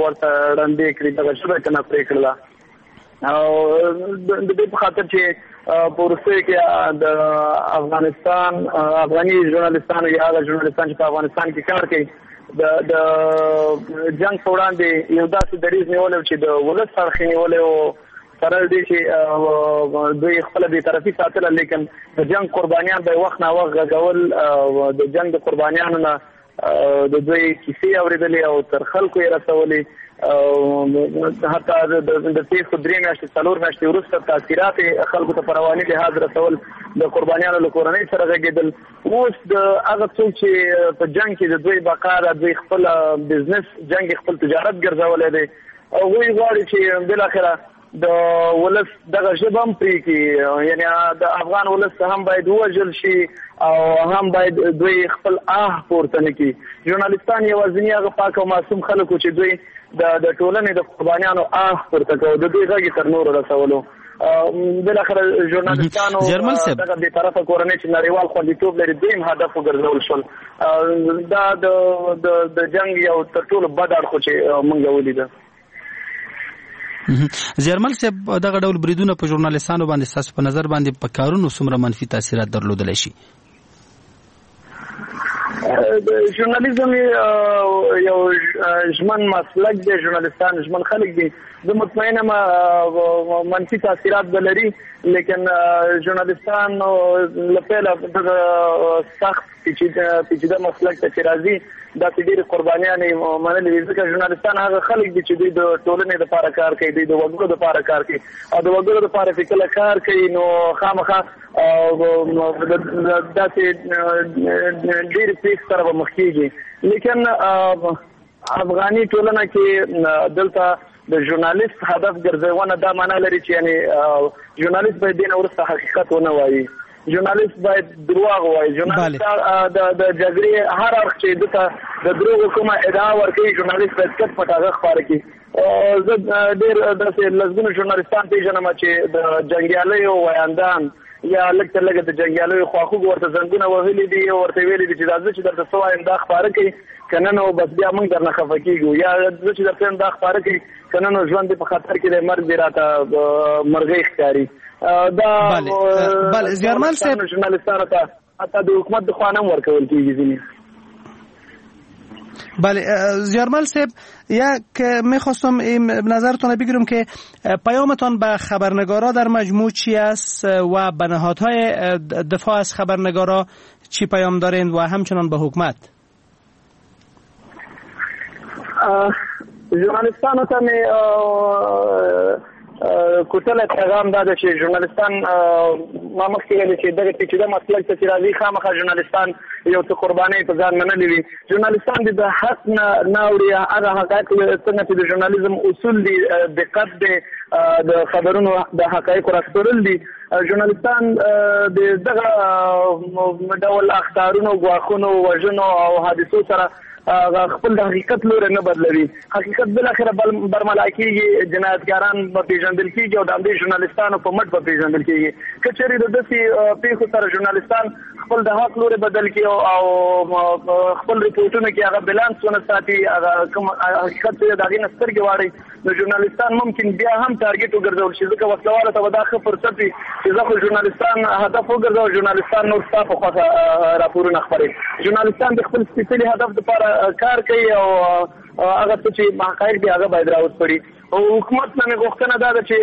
ورته ړندې کړې، دغه ژبه یې ترې پرې کړله. او د دې په خاطر چې په وروستیو کې د افغانستان افغاني ژورنالیستانو یا هغه ژورنالیستان چې په افغانستان کې کار کوي د جنګ په وړاندې یو داسې دریځ نیولی چې د ولس اړخ یې نیولی و، سره له دې چې دوی خپله بېطرفي ساتله، لیکن د جنګ قربانیان به یې وخت ناوخت غږول، د جنګ د قربانیانو نه د دوی کیسې اورېدلې او تر خلکو یې رسولې. حتی د پېښو 3 میاشتې 4 میاشتې وروسته تاثیرات یې خلکو ته په رواني لحاظ رسول، د قربانیانو له کورنۍ سره غږېدل. اوس د هغه څوک چې په جنګ کې د دوی بقا ده، دوی خپل بزنس جنګ خپل تجارت ګرځولی دی، هغوی غواړي چې بالاخره د ولس دغه ژبه هم پرې کړي، یعنې د افغان ولس هم باید ووژل شي او هم باید دوی خپل آه پورته نه کړي. ژورنالیستان یوازیني هغه پاک او معصوم خلک وو چې دوی د ټولنې د قربانیانو آه پورته کوو، د دوی غږ یې تر نورو رسولو. بالاخره ژورنالیستانو دغه بېطرفه کورنۍ چې نړیوال خوندیتوب لري دوی هم هدف وګرځول شول. دا د جنګ یو تر ټولو بد اړخ چې موږ ولیده. زیارمل صاحب، دغه ډول بریدونه په ژورنالیستانو باندې ستاسو په نظر باندې په کارونو څومره منفي تاثیرات درلودلی شي؟ د ژورنالیزم یو ژمن مسلک دی، ژورنالیستان ژمن خلک دي. زه مطمئن یم منفي تاثیرات به لري، لیکن ژورنالیستان له پیله دغه سخت پیچیده مسلک ته چې راځي داسې ډېرې قربانیانې منلې وي، ځکه ژورنالیستان هغه خلک دي چې دوی د ټولنې دپاره کار کوي، دوی د وګړو دپاره کار کوي، او د وګړو دپاره چې کله کار کوي نو خامخا داسې ډېرې پېښې سره به مخ کېږي. لیکن افغاني ټولنه کې دلته د ژورنالیست هدف ګرځونه دا معنا لري چې یعنې ژورنالیست باید دې نه وروسته حقیقت ونه وایي، ژورنالیست باید درواغ ووایي، ژورنالیست د جګړې هر اړخ چې ده ته د دروغو کومه ادعا ورکوي ژورنالیست باید کټ پټ هغه خپاره کړي. زه ډېر داسې لسګونو ژورنالیستان پېژنم چې د جنګیالیو ویاندان یا لږ تر لږه د جنګیالیو خواخوږو ورته زنګونه وهلي دي او ورته ویلي دي چې دا زه چې درته څه وایم دا خپاره کړئ، که نه نو بس بیا موږ درنه خفه کېږو، یا زه چې درته وایم دا خپاره کړئ که نه نو ژوند دې په خطر کې دی، مرګ دې راته مرغۍ ښکاري. دا بله زیارمل صاحب، ژورنالیستانو ته حتی د حکومت د خوا نه هم ورکول کېږي ځینې. بله زیارمل صاحب، یک میخواستم این نظرتون بگیرم که پیامتان به خبرنگارا در مجموع چی است و به نهادهای دفاع از خبرنگارا چی پیام دارین و همچنان به حکومت؟ ژورنالیستانو ته مې کوټلی پیغام دا ده چې ژورنالیستان، ما مخکې ویل چې دغه پیچیده مسلک ته چې راځي خامخا ژورنالیستان یو څه قربانۍ په ځان منلې وي. ژورنالیستان دې د حق نه نه اوري، هغه حقایق څنګه چې د ژورنالیزم اصول دي، دقت دی، د خبرونو د حقایقو راسپړل دي. ژورنالیستان د دغه ډول اخطارونو، ګواښونو، وژنو او حادثو سره خپل د حقیقت لوری نه بدلوي. حقیقت بالاخره برملا کېږي، جنایتکاران به پېژندل کېږي او د همدې ژورنالیستانو په مټ به پېژندل کېږي. که چېرې د داسې پېښو سره ژورنالیستان خپل د حق لوری بدل کړي او خپل رپورټونو کې هغه بیلانس ونه ساتي، هغه کوم حقیقت چې د هغې نه سترګې واړوي، نو ژورنالیستان ممکن بیا هم ټارګټ وګرځول شي، ځکه وسلهوالو ته به دا ښه فرصت وي چې زه خو ژورنالیستان هدف وګرځوم، ژورنالیستان نور ستا په خوښه راپورونه خپروي. ژورنالیستان د خپل سپېڅلي هدف دپاره کار کوي او هغه څه چې حقایق دي هغه باید راوسپړي. حکومت نه مې غوښتنه دا ده چې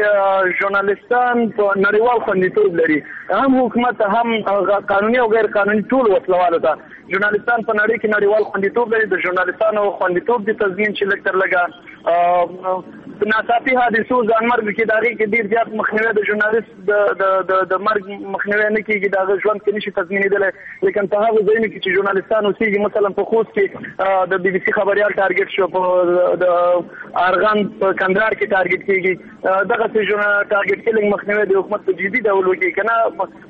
ژورنالیستان په نړیوال خوندیتوب لري، هم حکومت هم قانوني او غیر قانوني ټول وسلهوالو ته ژورنالیستان په نړۍ کې نړیوال خوندیتوب لري. د ژورنالیستانو خوندیتوب دې تضمین چې لږ تر لږه ناڅاپي حادثو، ځانمرګ کې د هغې کې ډېر زیات مخنیوی د ژورنالیست د مرګ مخنیوی نه کېږي، د هغه ژوند کې نشي تضمینېدلی. لیکن په هغو ځایونو کې چې ژورنالیستان اوسېږي، مثلا په خوست کې د بي بي سي خبریال ټارګټ شو، په د ارغند په کندهار کې ټارګټ کېږي، دغسې ټارګټ کیلینګ مخنیوی د حکومت په جدي ډول وکړي. که نه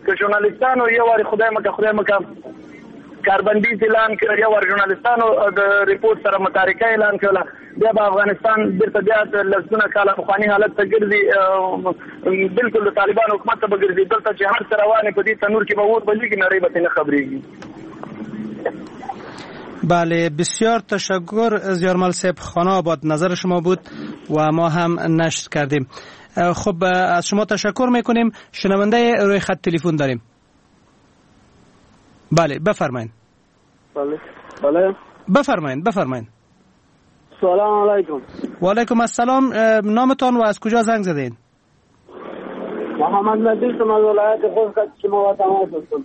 که ژورنالیستانو یو وارې خدای مکه خدای مکه کاربندیز اعلان کړ، یو وار ژورنالیستانو د رپورټ سره متارکه اعلان کړله، بیا به افغانستان بیرته بیا د لسګونه کاله پخواني حالت ته ګرځي، بالکل د طالبانو حکومت ته به ګرځي. دلته چې هر څه روان په دې تنور کې به اور بلېږي، نړۍ به ترې نه خبرېږي. بله، بسیار تشکر زیارمل صاحب، خانه آباد نظر شما بود و ما هم نشر کردیم. خب از شما تشکر میکنیم. شنونده روی خط تلفن داریم. بله بفرمایید. بله بله بفرمایید بفرمایید. سلام علیکم. و علیکم السلام. نامتان و از کجا زنگ زدین؟ محمد نبی از ولایت خوست شما تماس هستم.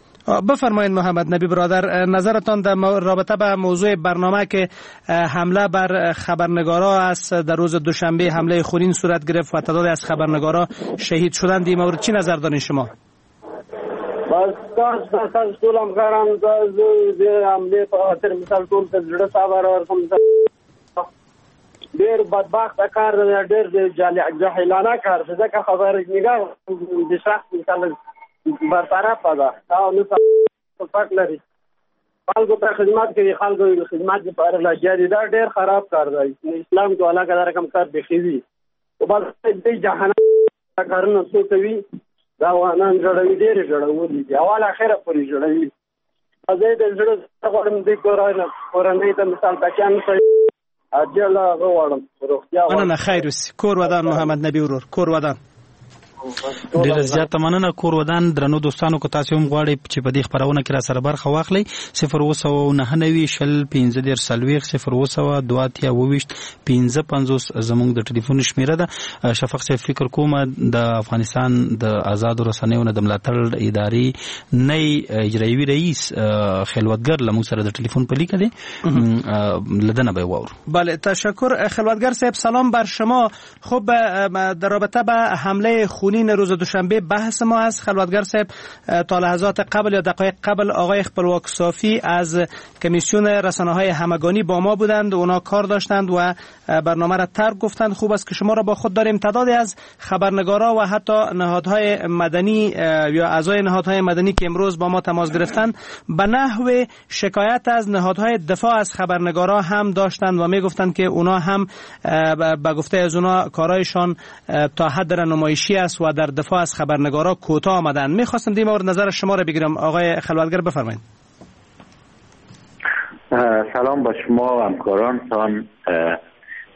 بفرمایید محمد نبی برادر، نظرتان در رابطه به موضوع برنامه که حمله بر خبرنگارا است در روز دوشنبه، حمله خونین صورت گرفت و تعدادی از خبرنگارا شهید شدند، این مورد چی نظر دارین شما؟ بس تاسو ټول همکارانو ته د حملې په خاطر مثال ټول ته زړه صبر ورکوم. ډېر بدبخته کار دی، ډېر جاهلانه کار دی، ځکه خبرنګار د شخص مثال برطرفه ده او نه پټ لري، خلکو ته خدمت کوي، خلکو خدمت لپاره لګیا دي. دا ډېر خراب کار دی. اسلام کې علاقه دا رقم کار بیخي وي، خو بس دې جهنم کارونه څوک کوي؟ دا افغانان ژړوي، ډېر ژړولي دي، اول اخره پورې ژړوي. زه د زړه غواړم دې کورنۍ ته مثال بچیان عاجله هغه غواړم، روغتیا غواړم. مننه، خیر اوسې. کور ودان محمد نبی ورور، کور ودان. ډیره زیاته مننه، کور ودان. درنو دوستانو، که تاسو هم غواړئ چې په دې خپرونه کې را سره برخه واخلئ، 0799 20 15 40 0700 2 28 55 زموږ د ټلیفون شمیره ده. شفق صاحب، فکر کوم د افغانستان د آزادو رسنیو نه د ملاتړ ادارې نی اجرایوي رئیس خلوتګر له موږ سره د ټلیفون په لیکه دی، لدنه به واورو. بله، تشکر خلوتگر صاحب، سلام بر شما. خب در رابطه به حمله خونین روز دوشنبه بحث ما است. خلوتگر صاحب، تا لحظات قبل یا دقایق قبل آقای خپلواک صافی از کمیسیون رسانه‌های همگانی با ما بودند، اونا کار داشتند و برنامه را ترک گفتند. خوب است که شما را با خود داریم. تعدادی از خبرنگارا و حتی نهادهای مدنی یا اعضای نهادهای مدنی که امروز با ما تماس گرفتند به نحو شکایت از نهادهای دفاع از خبرنگارا هم داشتند و میگفتند که اونا هم به گفته از اونا کارایشان تا حد نمایشی است و در دفاع از خبرنگارا کوتاه آمدند. میخواستم در مورد نظر شما را بگیرم آقای خلوتگر، بفرمایید. سلام با شما و همکارانتان.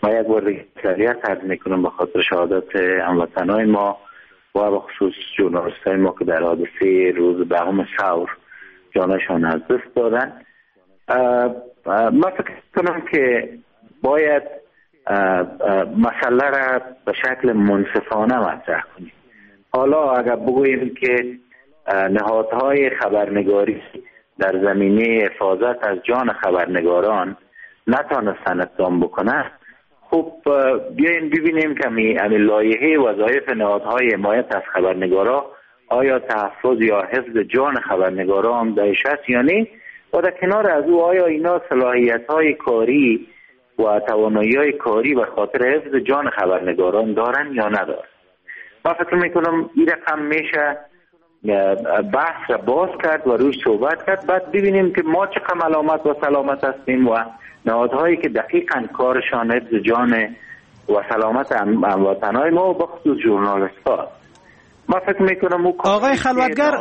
ما یک بار دیگه تسلیت عرض میکنم به خاطر شهادت هموطنای ما و به خصوص ژورنالیستای ما که در حادثه روز دهم ثور جانشان از دست دادن. ما فکر کنم که باید مسئله را به شکل منصفانه مطرح کنیم. حالا اگر بگوییم که نهادهای خبرنگاری در زمینه حفاظت از جان خبرنگاران نتانستن اقدام بکنن، خب بیاییم ببینیم که همین لایحه وظایف نهادهای حمایت از خبرنگارا آیا تحفظ یا حفظ جان خبرنگارا هم درش هست یا نه، و در کنار از او آیا اینا صلاحیت‌های کاری و توانایی‌های کاری به خاطر حفظ جان خبرنگاران دارن یا ندارن. من فکر میکنم این رقم میشه بحث را باز کرد و روش صحبت کرد، بعد ببینیم که ما چقدر ملامت و سلامت هستیم و نهادهایی که دقیقاً کارشان حفظ جان و سلامت هموطنای ما و بخصوص ژورنالیست‌ها. ما فکر میکنم آقای خلوتگر،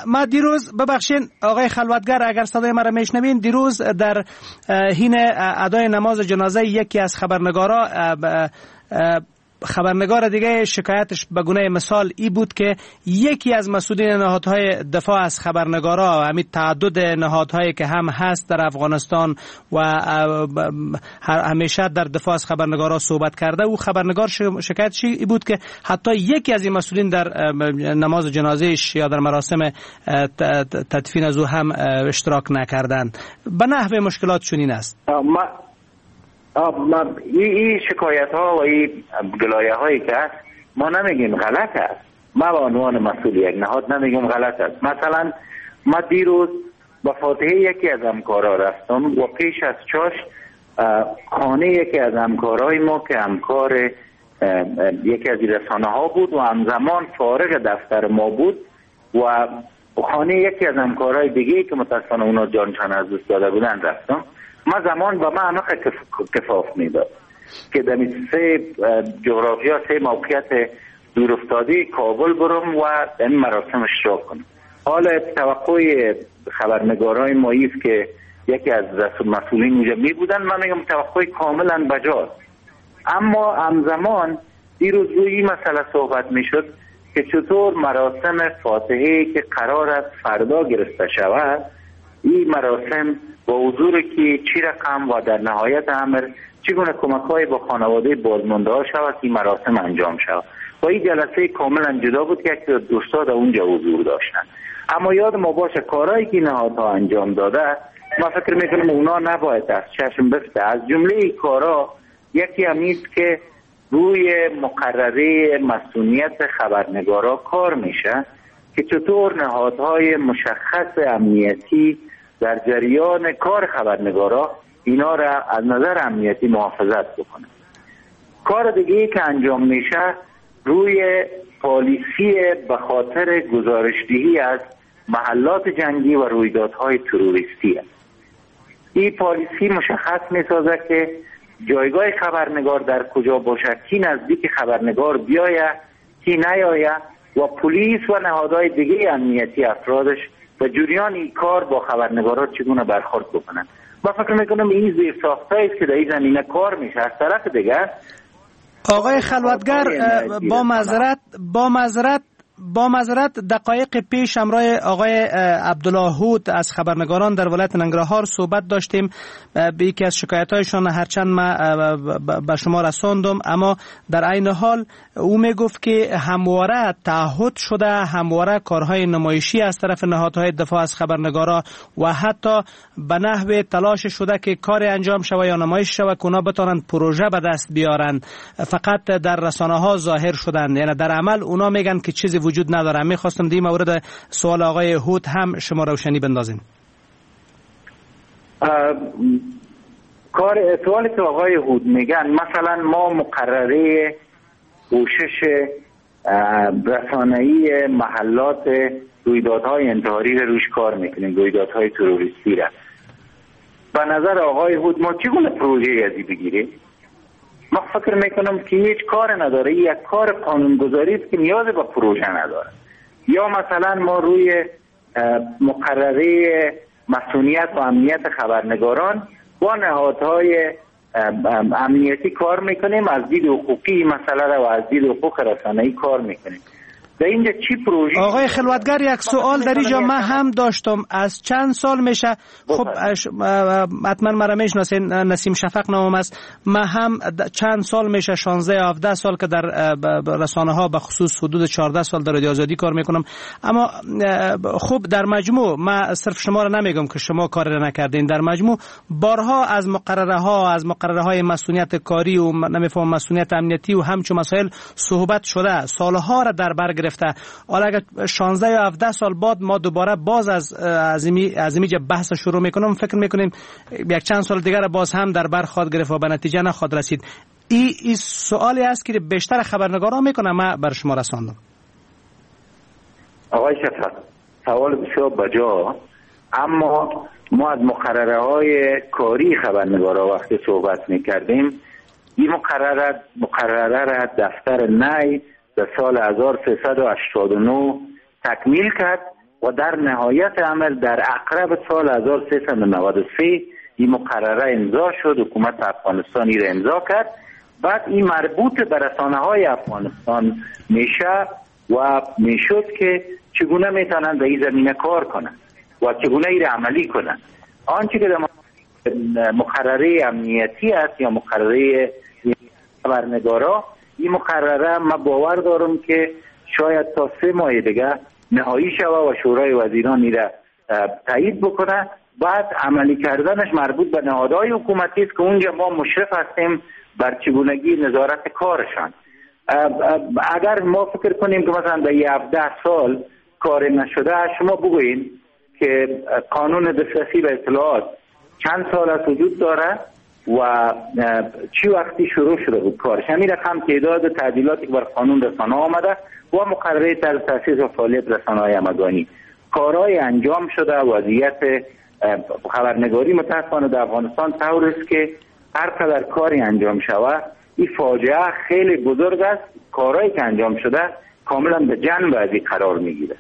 ما دیروز، ببخشین آقای خلوتگر اگر صدای مرا میشنوین، دیروز در حین ادای نماز جنازه یکی از خبرنگارا، خبرنگار دیگه شکایتش به گونه مثال ای بود که یکی از مسئولین نهادهای دفاع از خبرنگارا، همین تعدد نهادهایی که هم هست در افغانستان و همیشه در دفاع از خبرنگارا صحبت کرده، او خبرنگار شکایتش ای بود که حتی یکی از این مسئولین در نماز جنازهش یا در مراسم تدفین از او هم اشتراک نکردند. به نحو مشکلات چنین است. این شکایت ها و این گلایه هایی که هست، ما نمیگیم غلط است. ما به عنوان مسئول یک نهاد نمیگیم غلط است. مثلا ما دیروز با فاتحه یکی از همکارا رفتم و پیش از چاش خانه یکی از همکارای ما که همکار یکی از رسانه ها بود و همزمان فارغ دفتر ما بود و خانه یکی از همکارای دیگه که متاسفانه اونا جانشان از دست داده بودن رفتم. ما زمان با ما همه کفاف میداد که در سه جغرافیا، سه موقعیت دورافتاده کابل برم و این مراسم اشتراک کنم. حالا توقع خبرنگارای ما ایست که یکی از مسئولین اونجا می بودن، من میگم توقع کاملا بجاست. اما همزمان دیروز روی این مسئله صحبت میشد که چطور مراسم فاتحه که قرار است فردا گرفته شود، این مراسم با حضور که چی رقم و در نهایت امر چگونه کمک‌های با خانواده بازمانده ها شود که این مراسم انجام شود. و این جلسه کاملا جدا بود که یک دوستا در اونجا حضور داشتن. اما یاد ما باشه کارهایی که نهادها انجام داده، ما فکر میکنم اونا نباید از چشم بفته. از جمله این کارا یکی هم نیست که روی مقرره مسئولیت خبرنگارا کار میشه که چطور نهادهای مشخص امنیتی در جریان کار خبرنگارا اینا را از نظر امنیتی محافظت بکنه. کار دیگه که انجام میشه روی پالیسی به خاطر گزارشدهی از محلات جنگی و رویدادهای تروریستی است. این پالیسی مشخص میسازه که جایگاه خبرنگار در کجا باشد، کی نزدیک خبرنگار بیاید، کی نیاید و پلیس و نهادهای دیگه امنیتی افرادش و جریان این کار با خبرنگارا چگونه برخورد بکنن. ما فکر میکنم این زیر است که در این زمینه کار میشه. از طرف دیگه آقای خلوتگر، با معذرت دقایق پیش همراه آقای عبدالله هود از خبرنگاران در ولایت ننگرهار صحبت داشتیم. به یکی از شکایت‌هایشان هرچند ما به شما رساندم، اما در عین حال او میگفت که همواره تعهد شده، همواره کارهای نمایشی از طرف نهادهای دفاع از خبرنگارا و حتی به نحو تلاش شده که کار انجام شود یا نمایش شود که اونا بتوانند پروژه به دست بیارند، فقط در رسانه ها ظاهر شدند، یعنی در عمل اونا میگن که چیزی وجود نداره. میخواستم در مورد سوال آقای هود هم شما روشنی بندازین. کار سوالی که آقای هود میگن، مثلا ما مقرره پوشش رسانه‌ای محلات رویدادهای انتحاری رو روش کار میکنیم، رویدادهای تروریستی را. به نظر آقای هود ما چگونه پروژه ازی بگیریم؟ ما فکر میکنم که هیچ کار نداره، یک کار قانونگذاری است که نیاز به پروژه نداره. یا مثلا ما روی مقرره مسئولیت و امنیت خبرنگاران با نهادهای امنیتی کار میکنیم، از دید حقوقی مسئله را و از دید حقوق رسانه‌ای کار میکنیم. در اینجا چی پروژه؟ آقای خلوتگر، یک سوال در اینجا من هم داشتم، از چند سال میشه، خب حتما مرا میشناسین، نسیم شفق نامم است، من هم چند سال میشه، 16 یا 17 سال که در رسانه ها به خصوص حدود 14 سال در رادیو آزادی کار میکنم، اما خب در مجموع من صرف شما را نمیگم که شما کار را نکردین، در مجموع بارها از مقرره ها، از مقرره های مسئولیت کاری و نمیفهم مسئولیت امنیتی و همچون مسائل صحبت شده، سالها را در بر گرفته. حالا اگر 16 یا 17 سال بعد ما دوباره باز از اینجا بحث شروع میکنم، فکر میکنیم یک چند سال دیگر باز هم در بر خواهد گرفت و به نتیجه نخواهد رسید. این سوالی است که بیشتر خبرنگاران میکنم، من بر شما رساندم. آقای شفق، سوال بسیار بجا، اما ما از مقرره های کاری خبرنگارا وقتی صحبت میکردیم، این مقرره را دفتر نی در سال 1389 تکمیل کرد و در نهایت عمل در اقرب سال 1393 این مقرره امضا شد، حکومت افغانستان این را امضا کرد. بعد این مربوط به رسانه های افغانستان میشه و میشد که چگونه میتونن در این زمینه کار کنن و چگونه این را عملی کنن. آنچه که در مقرره امنیتی است یا مقرره خبرنگارا، این مقرره ما باور دارم که شاید تا 3 ماه دیگه نهایی شوه و شورای وزیران این را تایید بکنه. بعد عملی کردنش مربوط به نهادهای حکومتی است که اونجا ما مشرف هستیم بر چگونگی نظارت کارشان. اگر ما فکر کنیم که مثلا در 17 سال کار نشده، شما بگویید که قانون دسترسی به اطلاعات چند سال از وجود داره و چی وقتی شروع شده بود کارش، همین رقم تعداد تعدیلاتی که بر قانون رسانه آمده و مقرره طرز تأسیس و فعالیت رسانه‌های همگانی، کارهای انجام شده. وضعیت خبرنگاری متاسفانه در افغانستان طور است که هر قدر کاری انجام شود این فاجعه خیلی بزرگ است. کارهایی که انجام شده کاملا به جنب از این قرار میگیره.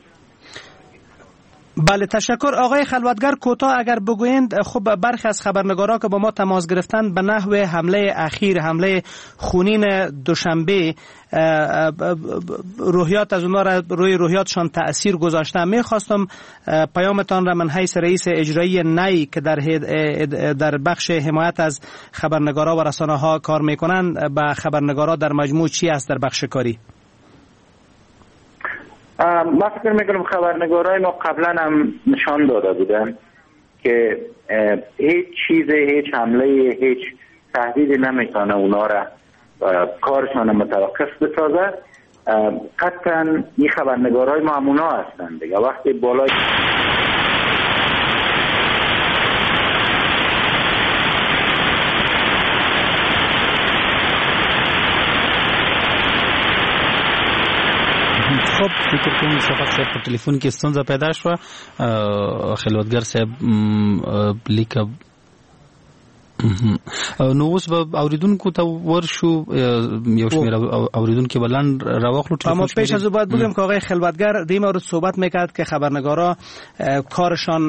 بله، تشکر آقای خلوتگر. کوتاه اگر بگویند، خب برخی از خبرنگارا که با ما تماس گرفتند به نحو حمله اخیر، حمله خونین دوشنبه، روحیات از اونها را روی روحیاتشان تأثیر گذاشته. میخواستم پیامتان را من حیث رئیس اجرایی نی که در بخش حمایت از خبرنگارا و رسانه ها کار میکنند، به خبرنگارا در مجموع چی است در بخش کاری؟ ما فکر میکنم خبرنگارای ما قبلا هم نشان داده بودن که هیچ چیز، هیچ حمله، هیچ تهدیدی نمیتونه اونا را کارشان متوقف بسازه. قطعا این خبرنگارای ما هم اونا هستند دیگه. وقتی بالای خب فکر کوم شفق صاحب په ټلیفون کې ستونزه پیدا شوه. خلوتګر صاحب لیکه نو اوس به اوریدونکو ته ورشو، یو شمېر اوریدونکو به لنډ راواخلو. اما پیش از او باید بگم که آقای خلوتگر در مورد صحبت میکرد که خبرنگارا کارشان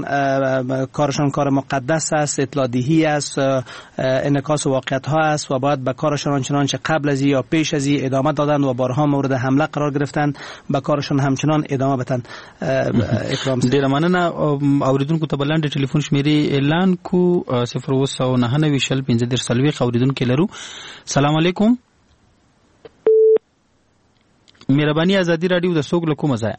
کار مقدس است، اطلاع دهی است، انعکاس واقعیت ها است و باید به کارشان آنچنان چه قبل از یا پیش از ادامه دادن و بارها مورد حمله قرار گرفتن به کارشان همچنان ادامه بدن. اکرام ډیره مننه. اوریدونکو ته به لنډ ټلیفون شمیرې اعلان کو 0 9 20 15 40 اوریدونکو لرو. سلام علیکم، مهرباني ازادي رادیو د سوګ له کومه ځایه؟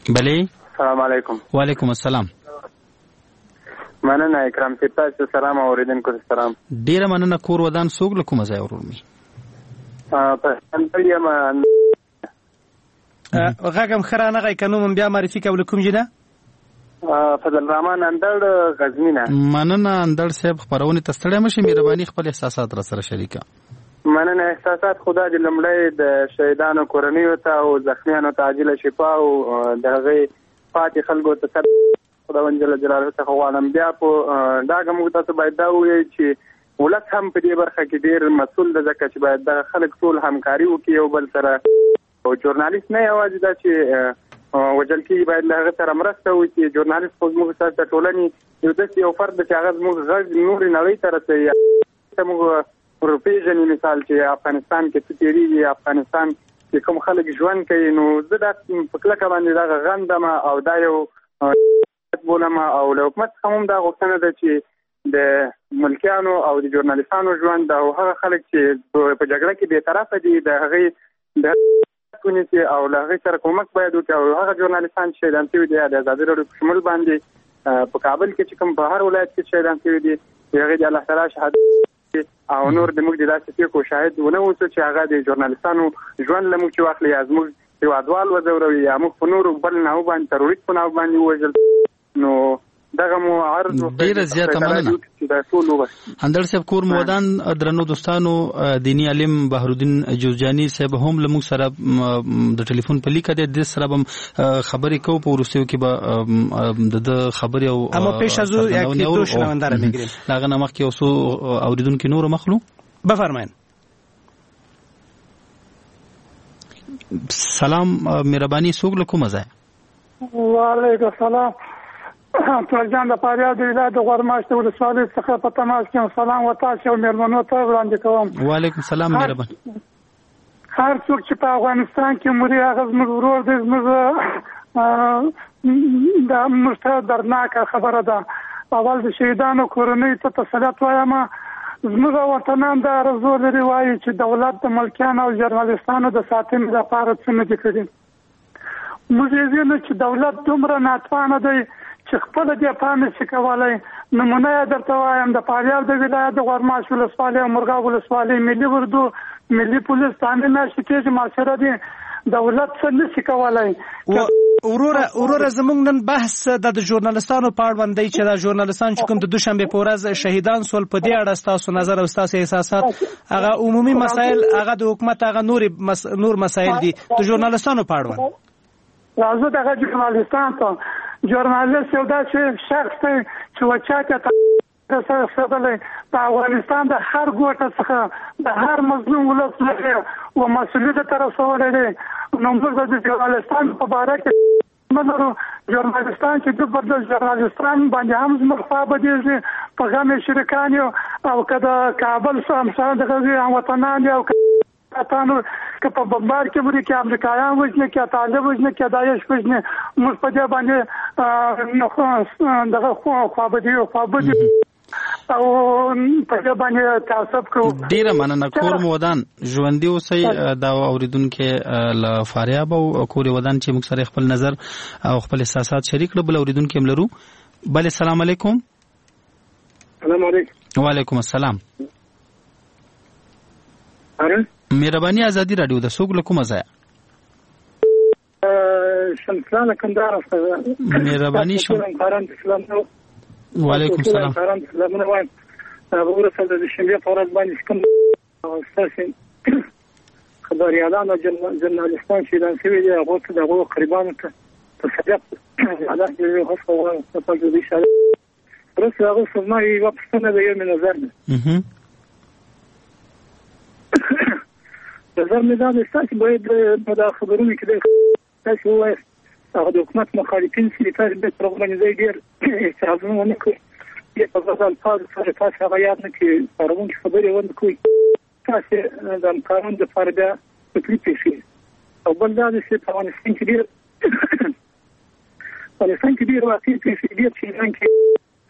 بله، سلام علیکم. وعلیکم السلام. مننه اکرام صاحب، تاسو سلام او اوریدونکو ته سلام. ډیره مننه. کور ودان، سوګ له کومه ځایه ورور می؟ په یم غږم ښه رانغی، که نوم بیا معرفي کول کوم جنه؟ فضل الرحمن اندړ، غزنی نه. مننه اندړ صاحب، خبرونه ته ستړی مشي، مهرباني خپل احساسات را سره شریکه. مننه. احساسات خدا دې لومړی د شهیدانو کورنیو ته او زخمیانو ته عاجله شفا او د هغې پاتې خلکو ته صبر خداوند جل جلاله څخه غواړم. بیا په ډاګه موږ تاسو باید دا ووایو چې ولس هم په دې برخه کې ډېر مسؤل دی، ځکه چې باید دغه خلک ټول همکاري وکړي یو بل سره. او ژورنالیست نه یوازې دا چې وژل کېږي، باید له هغه سره مرسته وکړي. ژورنالیست خو زموږ سره د ټولنې یو داسې یو فرد دی چې هغه زموږ غږ نورې نړۍ ته رسوي، ته موږ ورپېژني. مثال چې افغانستان کې څه تېرېږي، افغانستان کې کوم خلک ژوند کوي. نو زه دا په کلکه باندې دغه غندم او دا یو بولم. او له حکومت څخه هم دا غوښتنه ده چې د ملکیانو او د ژورنالیستانو ژوند او هغه خلک چې په جګړه کې بېطرفه دي د هغې د ونیسي او له هغې سره کومک باید وکړي. او هغه ژورنالیستان چې شهیدان شوي دي، د ازادي راډیو په شمول باندې په کابل کې چې کوم په هر ولایت کې شهیدان شوي دي، هغې د الله تعالی شهادت او نور د موږ د داسې پېښو شاهد ونه اوسو چې هغه د ژورنالیستانو ژوند له موږ چې واخلي، یا زموږ هېوادوال وځوروي، یا موږ په نورو بل ناو باندې تروریست په ناو باندې ووژل. نو دغه مو عرض. ډیره زیاته مننه اندړ صاحب، کور مو ودان. درنو دوستانو، دینی عالم بهرالدین جوزجانی صاحب هم له موږ سره د ټلیفون په لیکه دی، د سره به خبرې کوو په وروستیو کې به د خبرې او اما پیش از او یک دو شنونده را میگیریم. هغه نه مخکې یو څو اوریدونکي نور مخلو. بفرمایئ. سلام، مهرباني څوک له کومه ځایه؟ وعلیکم السلام. تورک جان د فاریاب د ولایت د غورماش د ولسوالۍ څخه په تماس کې یم. سلام و تاسو او مېلمنو ته وړاندې کوم. وعلیکم سلام، مهربان. هر څوک چې په افغانستان کې مري هغه زموږ ورور دی، زموږ دا موږ ته دردناکه خبره ده. اول د شهیدانو کورنۍ ته تسلیت وایم. زموږ وطنان دا آرزو لري، وایي چې دولت د ملکیانو او ژورنالیستانو د ساتنې لپاره څه نه دي کړي. موږ یې وینو چې دولت دومره ناتوانه دی چې خپله دفاع نشي کولی. نمونه یې درته وایم، د فاریاب د ولایت د غورماش ولسوالۍ او مرغاب ولسوالۍ ملي اردو، ملي پولیس تعمیر میاشتې کېږي معاشره دي، دولت څه نشي کولی. وروره زمونږ نن بحث د ژورنالستانو په اړوند دی چې دا ژورنالستان چې کوم د دوشنبې په ورځ شهیدان سول، په دې اړه ستاسو نظر او ستاسو احساسات، هغه عمومي مسایل، هغه د حکومت هغه نور مسایل دي د ژورنالستانو په اړوند. راځو دغه ژورنالستان ته. ژورنالیست یو داسې شخص دی چې و چا ته رسېدلی، د افغانستان د هر ګوټه څخه د هر مظلوم ولس لري و مسؤلیت ته رسولی دی. نو موږ د ژورنالیستان په باره کې نه لرو. ژورنالیستان چې دوی پر ژورنالیستان باندې هم زموږ خوا بدېږي، په غم یې شریکان یو. او که د کابل همسایه دغه هموطنان دي او اتانو که په بمبار کې مري، که امریکایان وژني، که طالب وژني، که داعش وژني، موږ په دې باندې دغه خوابدي او په دې باندې تعصب کوو. ډیره مننه، کور مو ودان، ژوندي اوسئ. دا اوریدونکي له فاریاب او کور ودان چې موږ سره خپل نظر او خپل احساسات شریک کړل. بل اوریدونکي هم لرو. بله، سلام علیکم. سلام علیکم. وعلیکم السلام. مهرباني ازادي رادیو د څوک له کومه ځایه؟ شمسلان کندهار څخه. مهرباني شم. وعلیکم سلام. سلامونه وایم. وروسته د دوشنبې په ورځ باندې کوم ستاسو خبریالان او ژورنالیستان شهیدان شوي دي، هغو ته د هغو قریبانو ته تسلیت الله دې غوښه وغواړم. وروسته هغه زما یوه پوښتنه ده، یو مې نظر دی. نظر مې دا دی، تاسو باید په دا خبرونو کې تاسو ووایاست هغه د حکومت مخالفین چې تاسو باید پر هغو باندې ځای ډېر اعتراضونه ونه کړئ، ډېر په بد الفاظو سره تاسو هغه یاد نه کړئ، پاروونکې خبرې ونه کړئ، تاسو د همکارانو دپاره بیا تکلیف پېښوي. او بل دا دی چې په افغانستان کې ډېر واقعي پېښې، ډېر شهیدان کې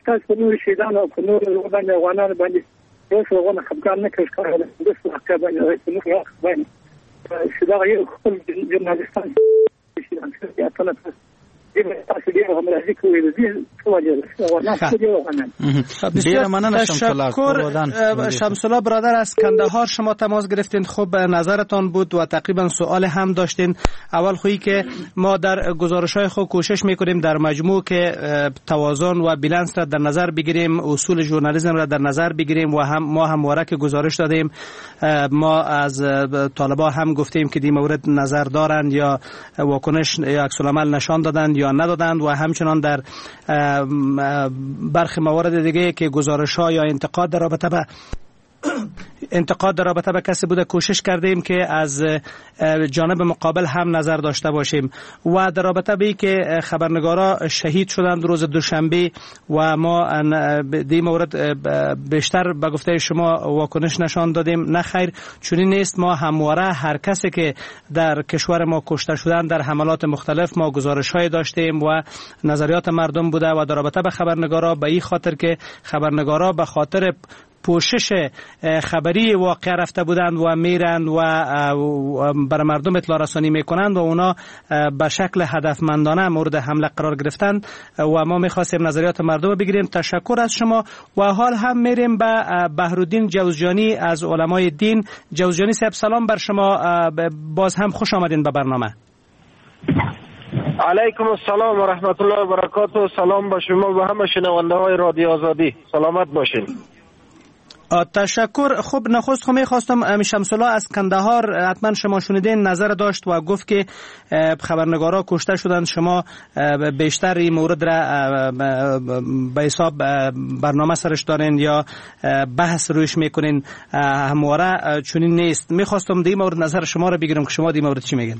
تاسو په نورو شهیدانو او په نورو باندې افغانانو باندې اوس هغه خپګان نه کوي، ښکاره ده داسې واقعه باندې زموږ حق باندې چې دغه یو خپل ژورنالیستان شهیدان شوي دي، اتله تاسو ډېر همراهي کوئ، د دې څه وجه ده؟ بسیار تشکر شمس الله برادر از کندهار شما تماس گرفتین. خب نظرتان بود و تقریبا سوال هم داشتین. اول خویی که ما در گزارش های خود کوشش میکنیم در مجموع که توازن و بیلانس را در نظر بگیریم، اصول ژورنالیسم را در نظر بگیریم و هم ما همواره که گزارش دادیم، ما از طالبا هم گفتیم که دی مورد نظر دارند یا واکنش یا عکس العمل نشان دادند یا ندادند و همچنان در برخی موارد دیگه که گزارش ها یا انتقاد در رابطه به کسی بوده کوشش کردیم که از جانب مقابل هم نظر داشته باشیم. و در رابطه به که خبرنگارا شهید شدند روز دوشنبه و ما دی مورد بیشتر به گفته شما واکنش نشان دادیم، نه خیر چنین نیست. ما همواره هر کسی که در کشور ما کشته شدند در حملات مختلف ما گزارش های داشتیم و نظریات مردم بوده. و در رابطه به خبرنگارا به این خاطر که خبرنگارا به خاطر پوشش خبری واقع رفته بودند و میرند و بر مردم اطلاع رسانی میکنند و اونا به شکل هدفمندانه مورد حمله قرار گرفتند و ما میخواستیم نظریات مردم بگیریم. تشکر از شما. و حال هم میریم به بهرالدین جوزجانی از علمای دین. جوزجانی صاحب سلام بر شما، باز هم خوش آمدین به برنامه. علیکم السلام و رحمت الله و برکاته. سلام به شما و همه شنونده های رادیو آزادی، سلامت باشین. تشکر. خب نخست خو میخواستم شمس الله از کندهار حتما شما شنیدین نظر داشت و گفت که خبرنگارا کشته شدند، شما بیشتر این مورد را به حساب برنامه سرش دارین یا بحث رویش میکنین، همواره چنین نیست. میخواستم دی مورد نظر شما را بگیرم که شما دی مورد چی میگین؟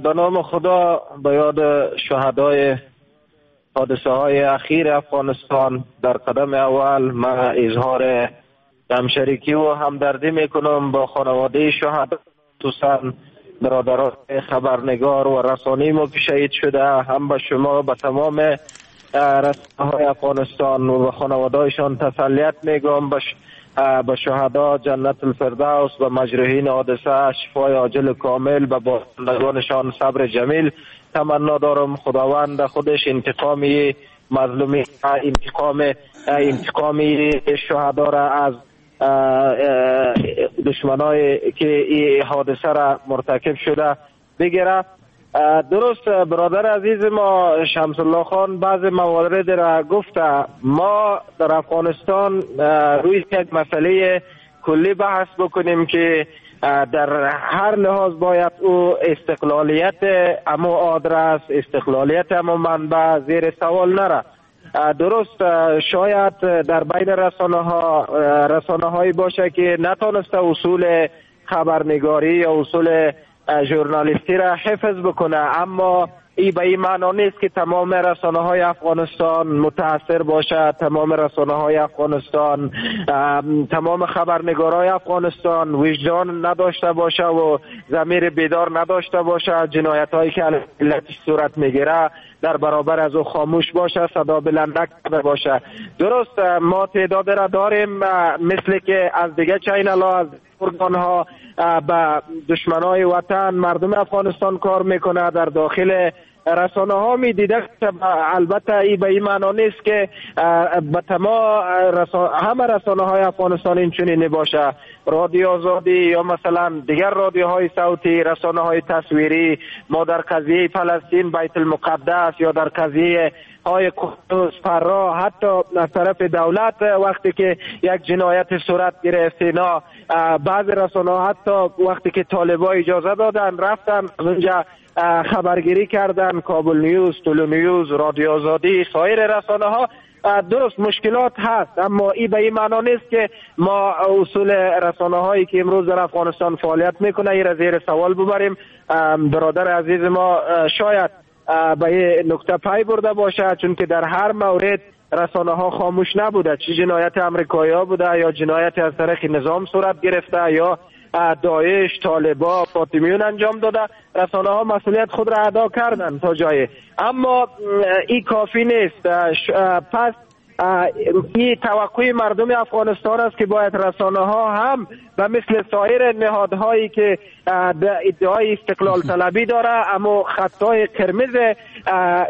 به نام خدا، به یاد شهدای حادثه های اخیر افغانستان در قدم اول من اظهار همشریکی و همدردی میکنم با خانواده شهدا، خصوصا برادران خبرنگار و رسانه‌ای ما که شهید شده، هم به شما به تمام رسانه‌های افغانستان و به خانواده‌هایشان تسلیت میگم. به شهدا جنت الفردوس، به مجروحین حادثه شفای عاجل کامل، به بازماندگانشان صبر جمیل تمنا دارم. خداوند خودش انتقامی مظلومی، انتقامی شهدا را از دشمنای که این حادثه را مرتکب شده بگیره. درست برادر عزیز ما شمس الله خان بعض موارد را گفته. ما در افغانستان روی یک مسئله کلی بحث بکنیم که در هر لحاظ باید او استقلالیت امو آدرس، استقلالیت امو منبع زیر سوال نره. درست شاید در بین رسانه هایی باشه که نتانسته اصول خبرنگاری یا اصول ژورنالیستی را حفظ بکنه، اما ای به این معنا نیست که تمام رسانه های افغانستان متاثر باشه، تمام رسانه های افغانستان، تمام خبرنگارای افغانستان وجدان نداشته باشه و ضمیر بیدار نداشته باشه، جنایت هایی که علیه ملت صورت میگیره در برابر از او خاموش باشه، صدا بلند نکرده باشه. درست ما تعداد را داریم، مثل که از دیگه channel ها، از ارگان ها به دشمنای وطن مردم افغانستان کار میکنه، در داخل رسانه ها می دیده. البته ای به این معنا نیست که به تمام همه رسانه های افغانستان این چنین باشه. رادیو آزادی یا مثلا دیگر رادیوهای صوتی، رسانه های تصویری، ما در قضیه فلسطین، بیت المقدس یا در قضیه های قدس، فرا، حتی از طرف دولت وقتی که یک جنایت صورت گرفت، اینا بعض رسانه ها حتی وقتی که طالبا اجازه دادن رفتن اونجا خبرگیری کردن، کابل نیوز، طلوع نیوز، رادیو آزادی، سایر رسانه ها. درست مشکلات هست، اما این به این معنا نیست که ما اصول رسانه هایی که امروز در افغانستان فعالیت میکنه این را زیر سوال ببریم. برادر عزیز ما شاید به این نکته پی برده باشه، چون که در هر مورد رسانه ها خاموش نبوده، چه جنایت امریکایی ها بوده یا جنایت از طرف نظام صورت گرفته یا داعش، طالبا، فاطمیون انجام داده، رسانه ها مسئولیت خود را ادا کردن تا جای، اما این کافی نیست. پس این توقع مردم افغانستان است که باید رسانه ها هم و مثل سایر نهادهایی که ادعای استقلال طلبی داره اما خطای قرمز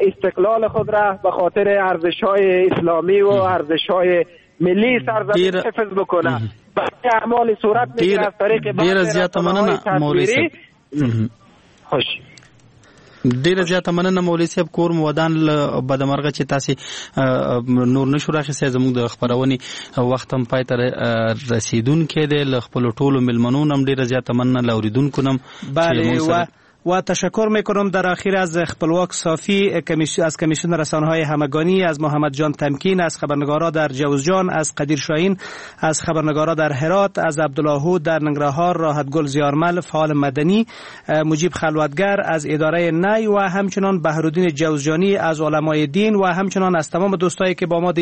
استقلال خود را به خاطر ارزش های اسلامی و ارزش های ملی سرزمین حفظ بکنه. برای اعمال صورت میگیره از طریق ډیره زیاته مننه مولوی صاحب. خوش ډیره زیاته مننه مولوی صاحب، کور مو ودان. له بده مرغه چې تاسو نور نشو راخیستی، زموږ د خپرونې وخت هم پای ته رسیدونکی دی. له خپلو ټولو میلمنو هم ډیره زیاته مننه، له اورېدونکو هم. بله و تشکر میکنم در آخر از خپلواک صافی از کمیسیون رسانه‌های همگانی، از محمد جان تمکین، از خبرنگارا در جوزجان، از قدیر شاهین، از خبرنگارا در هرات، از عبدالله در ننگرهار، راحت گل زیارمل فعال مدنی، مجیب خلوتگر از اداره نی و همچنان بهرودین جوزجانی از علمای دین و همچنان از تمام دوستایی که با ما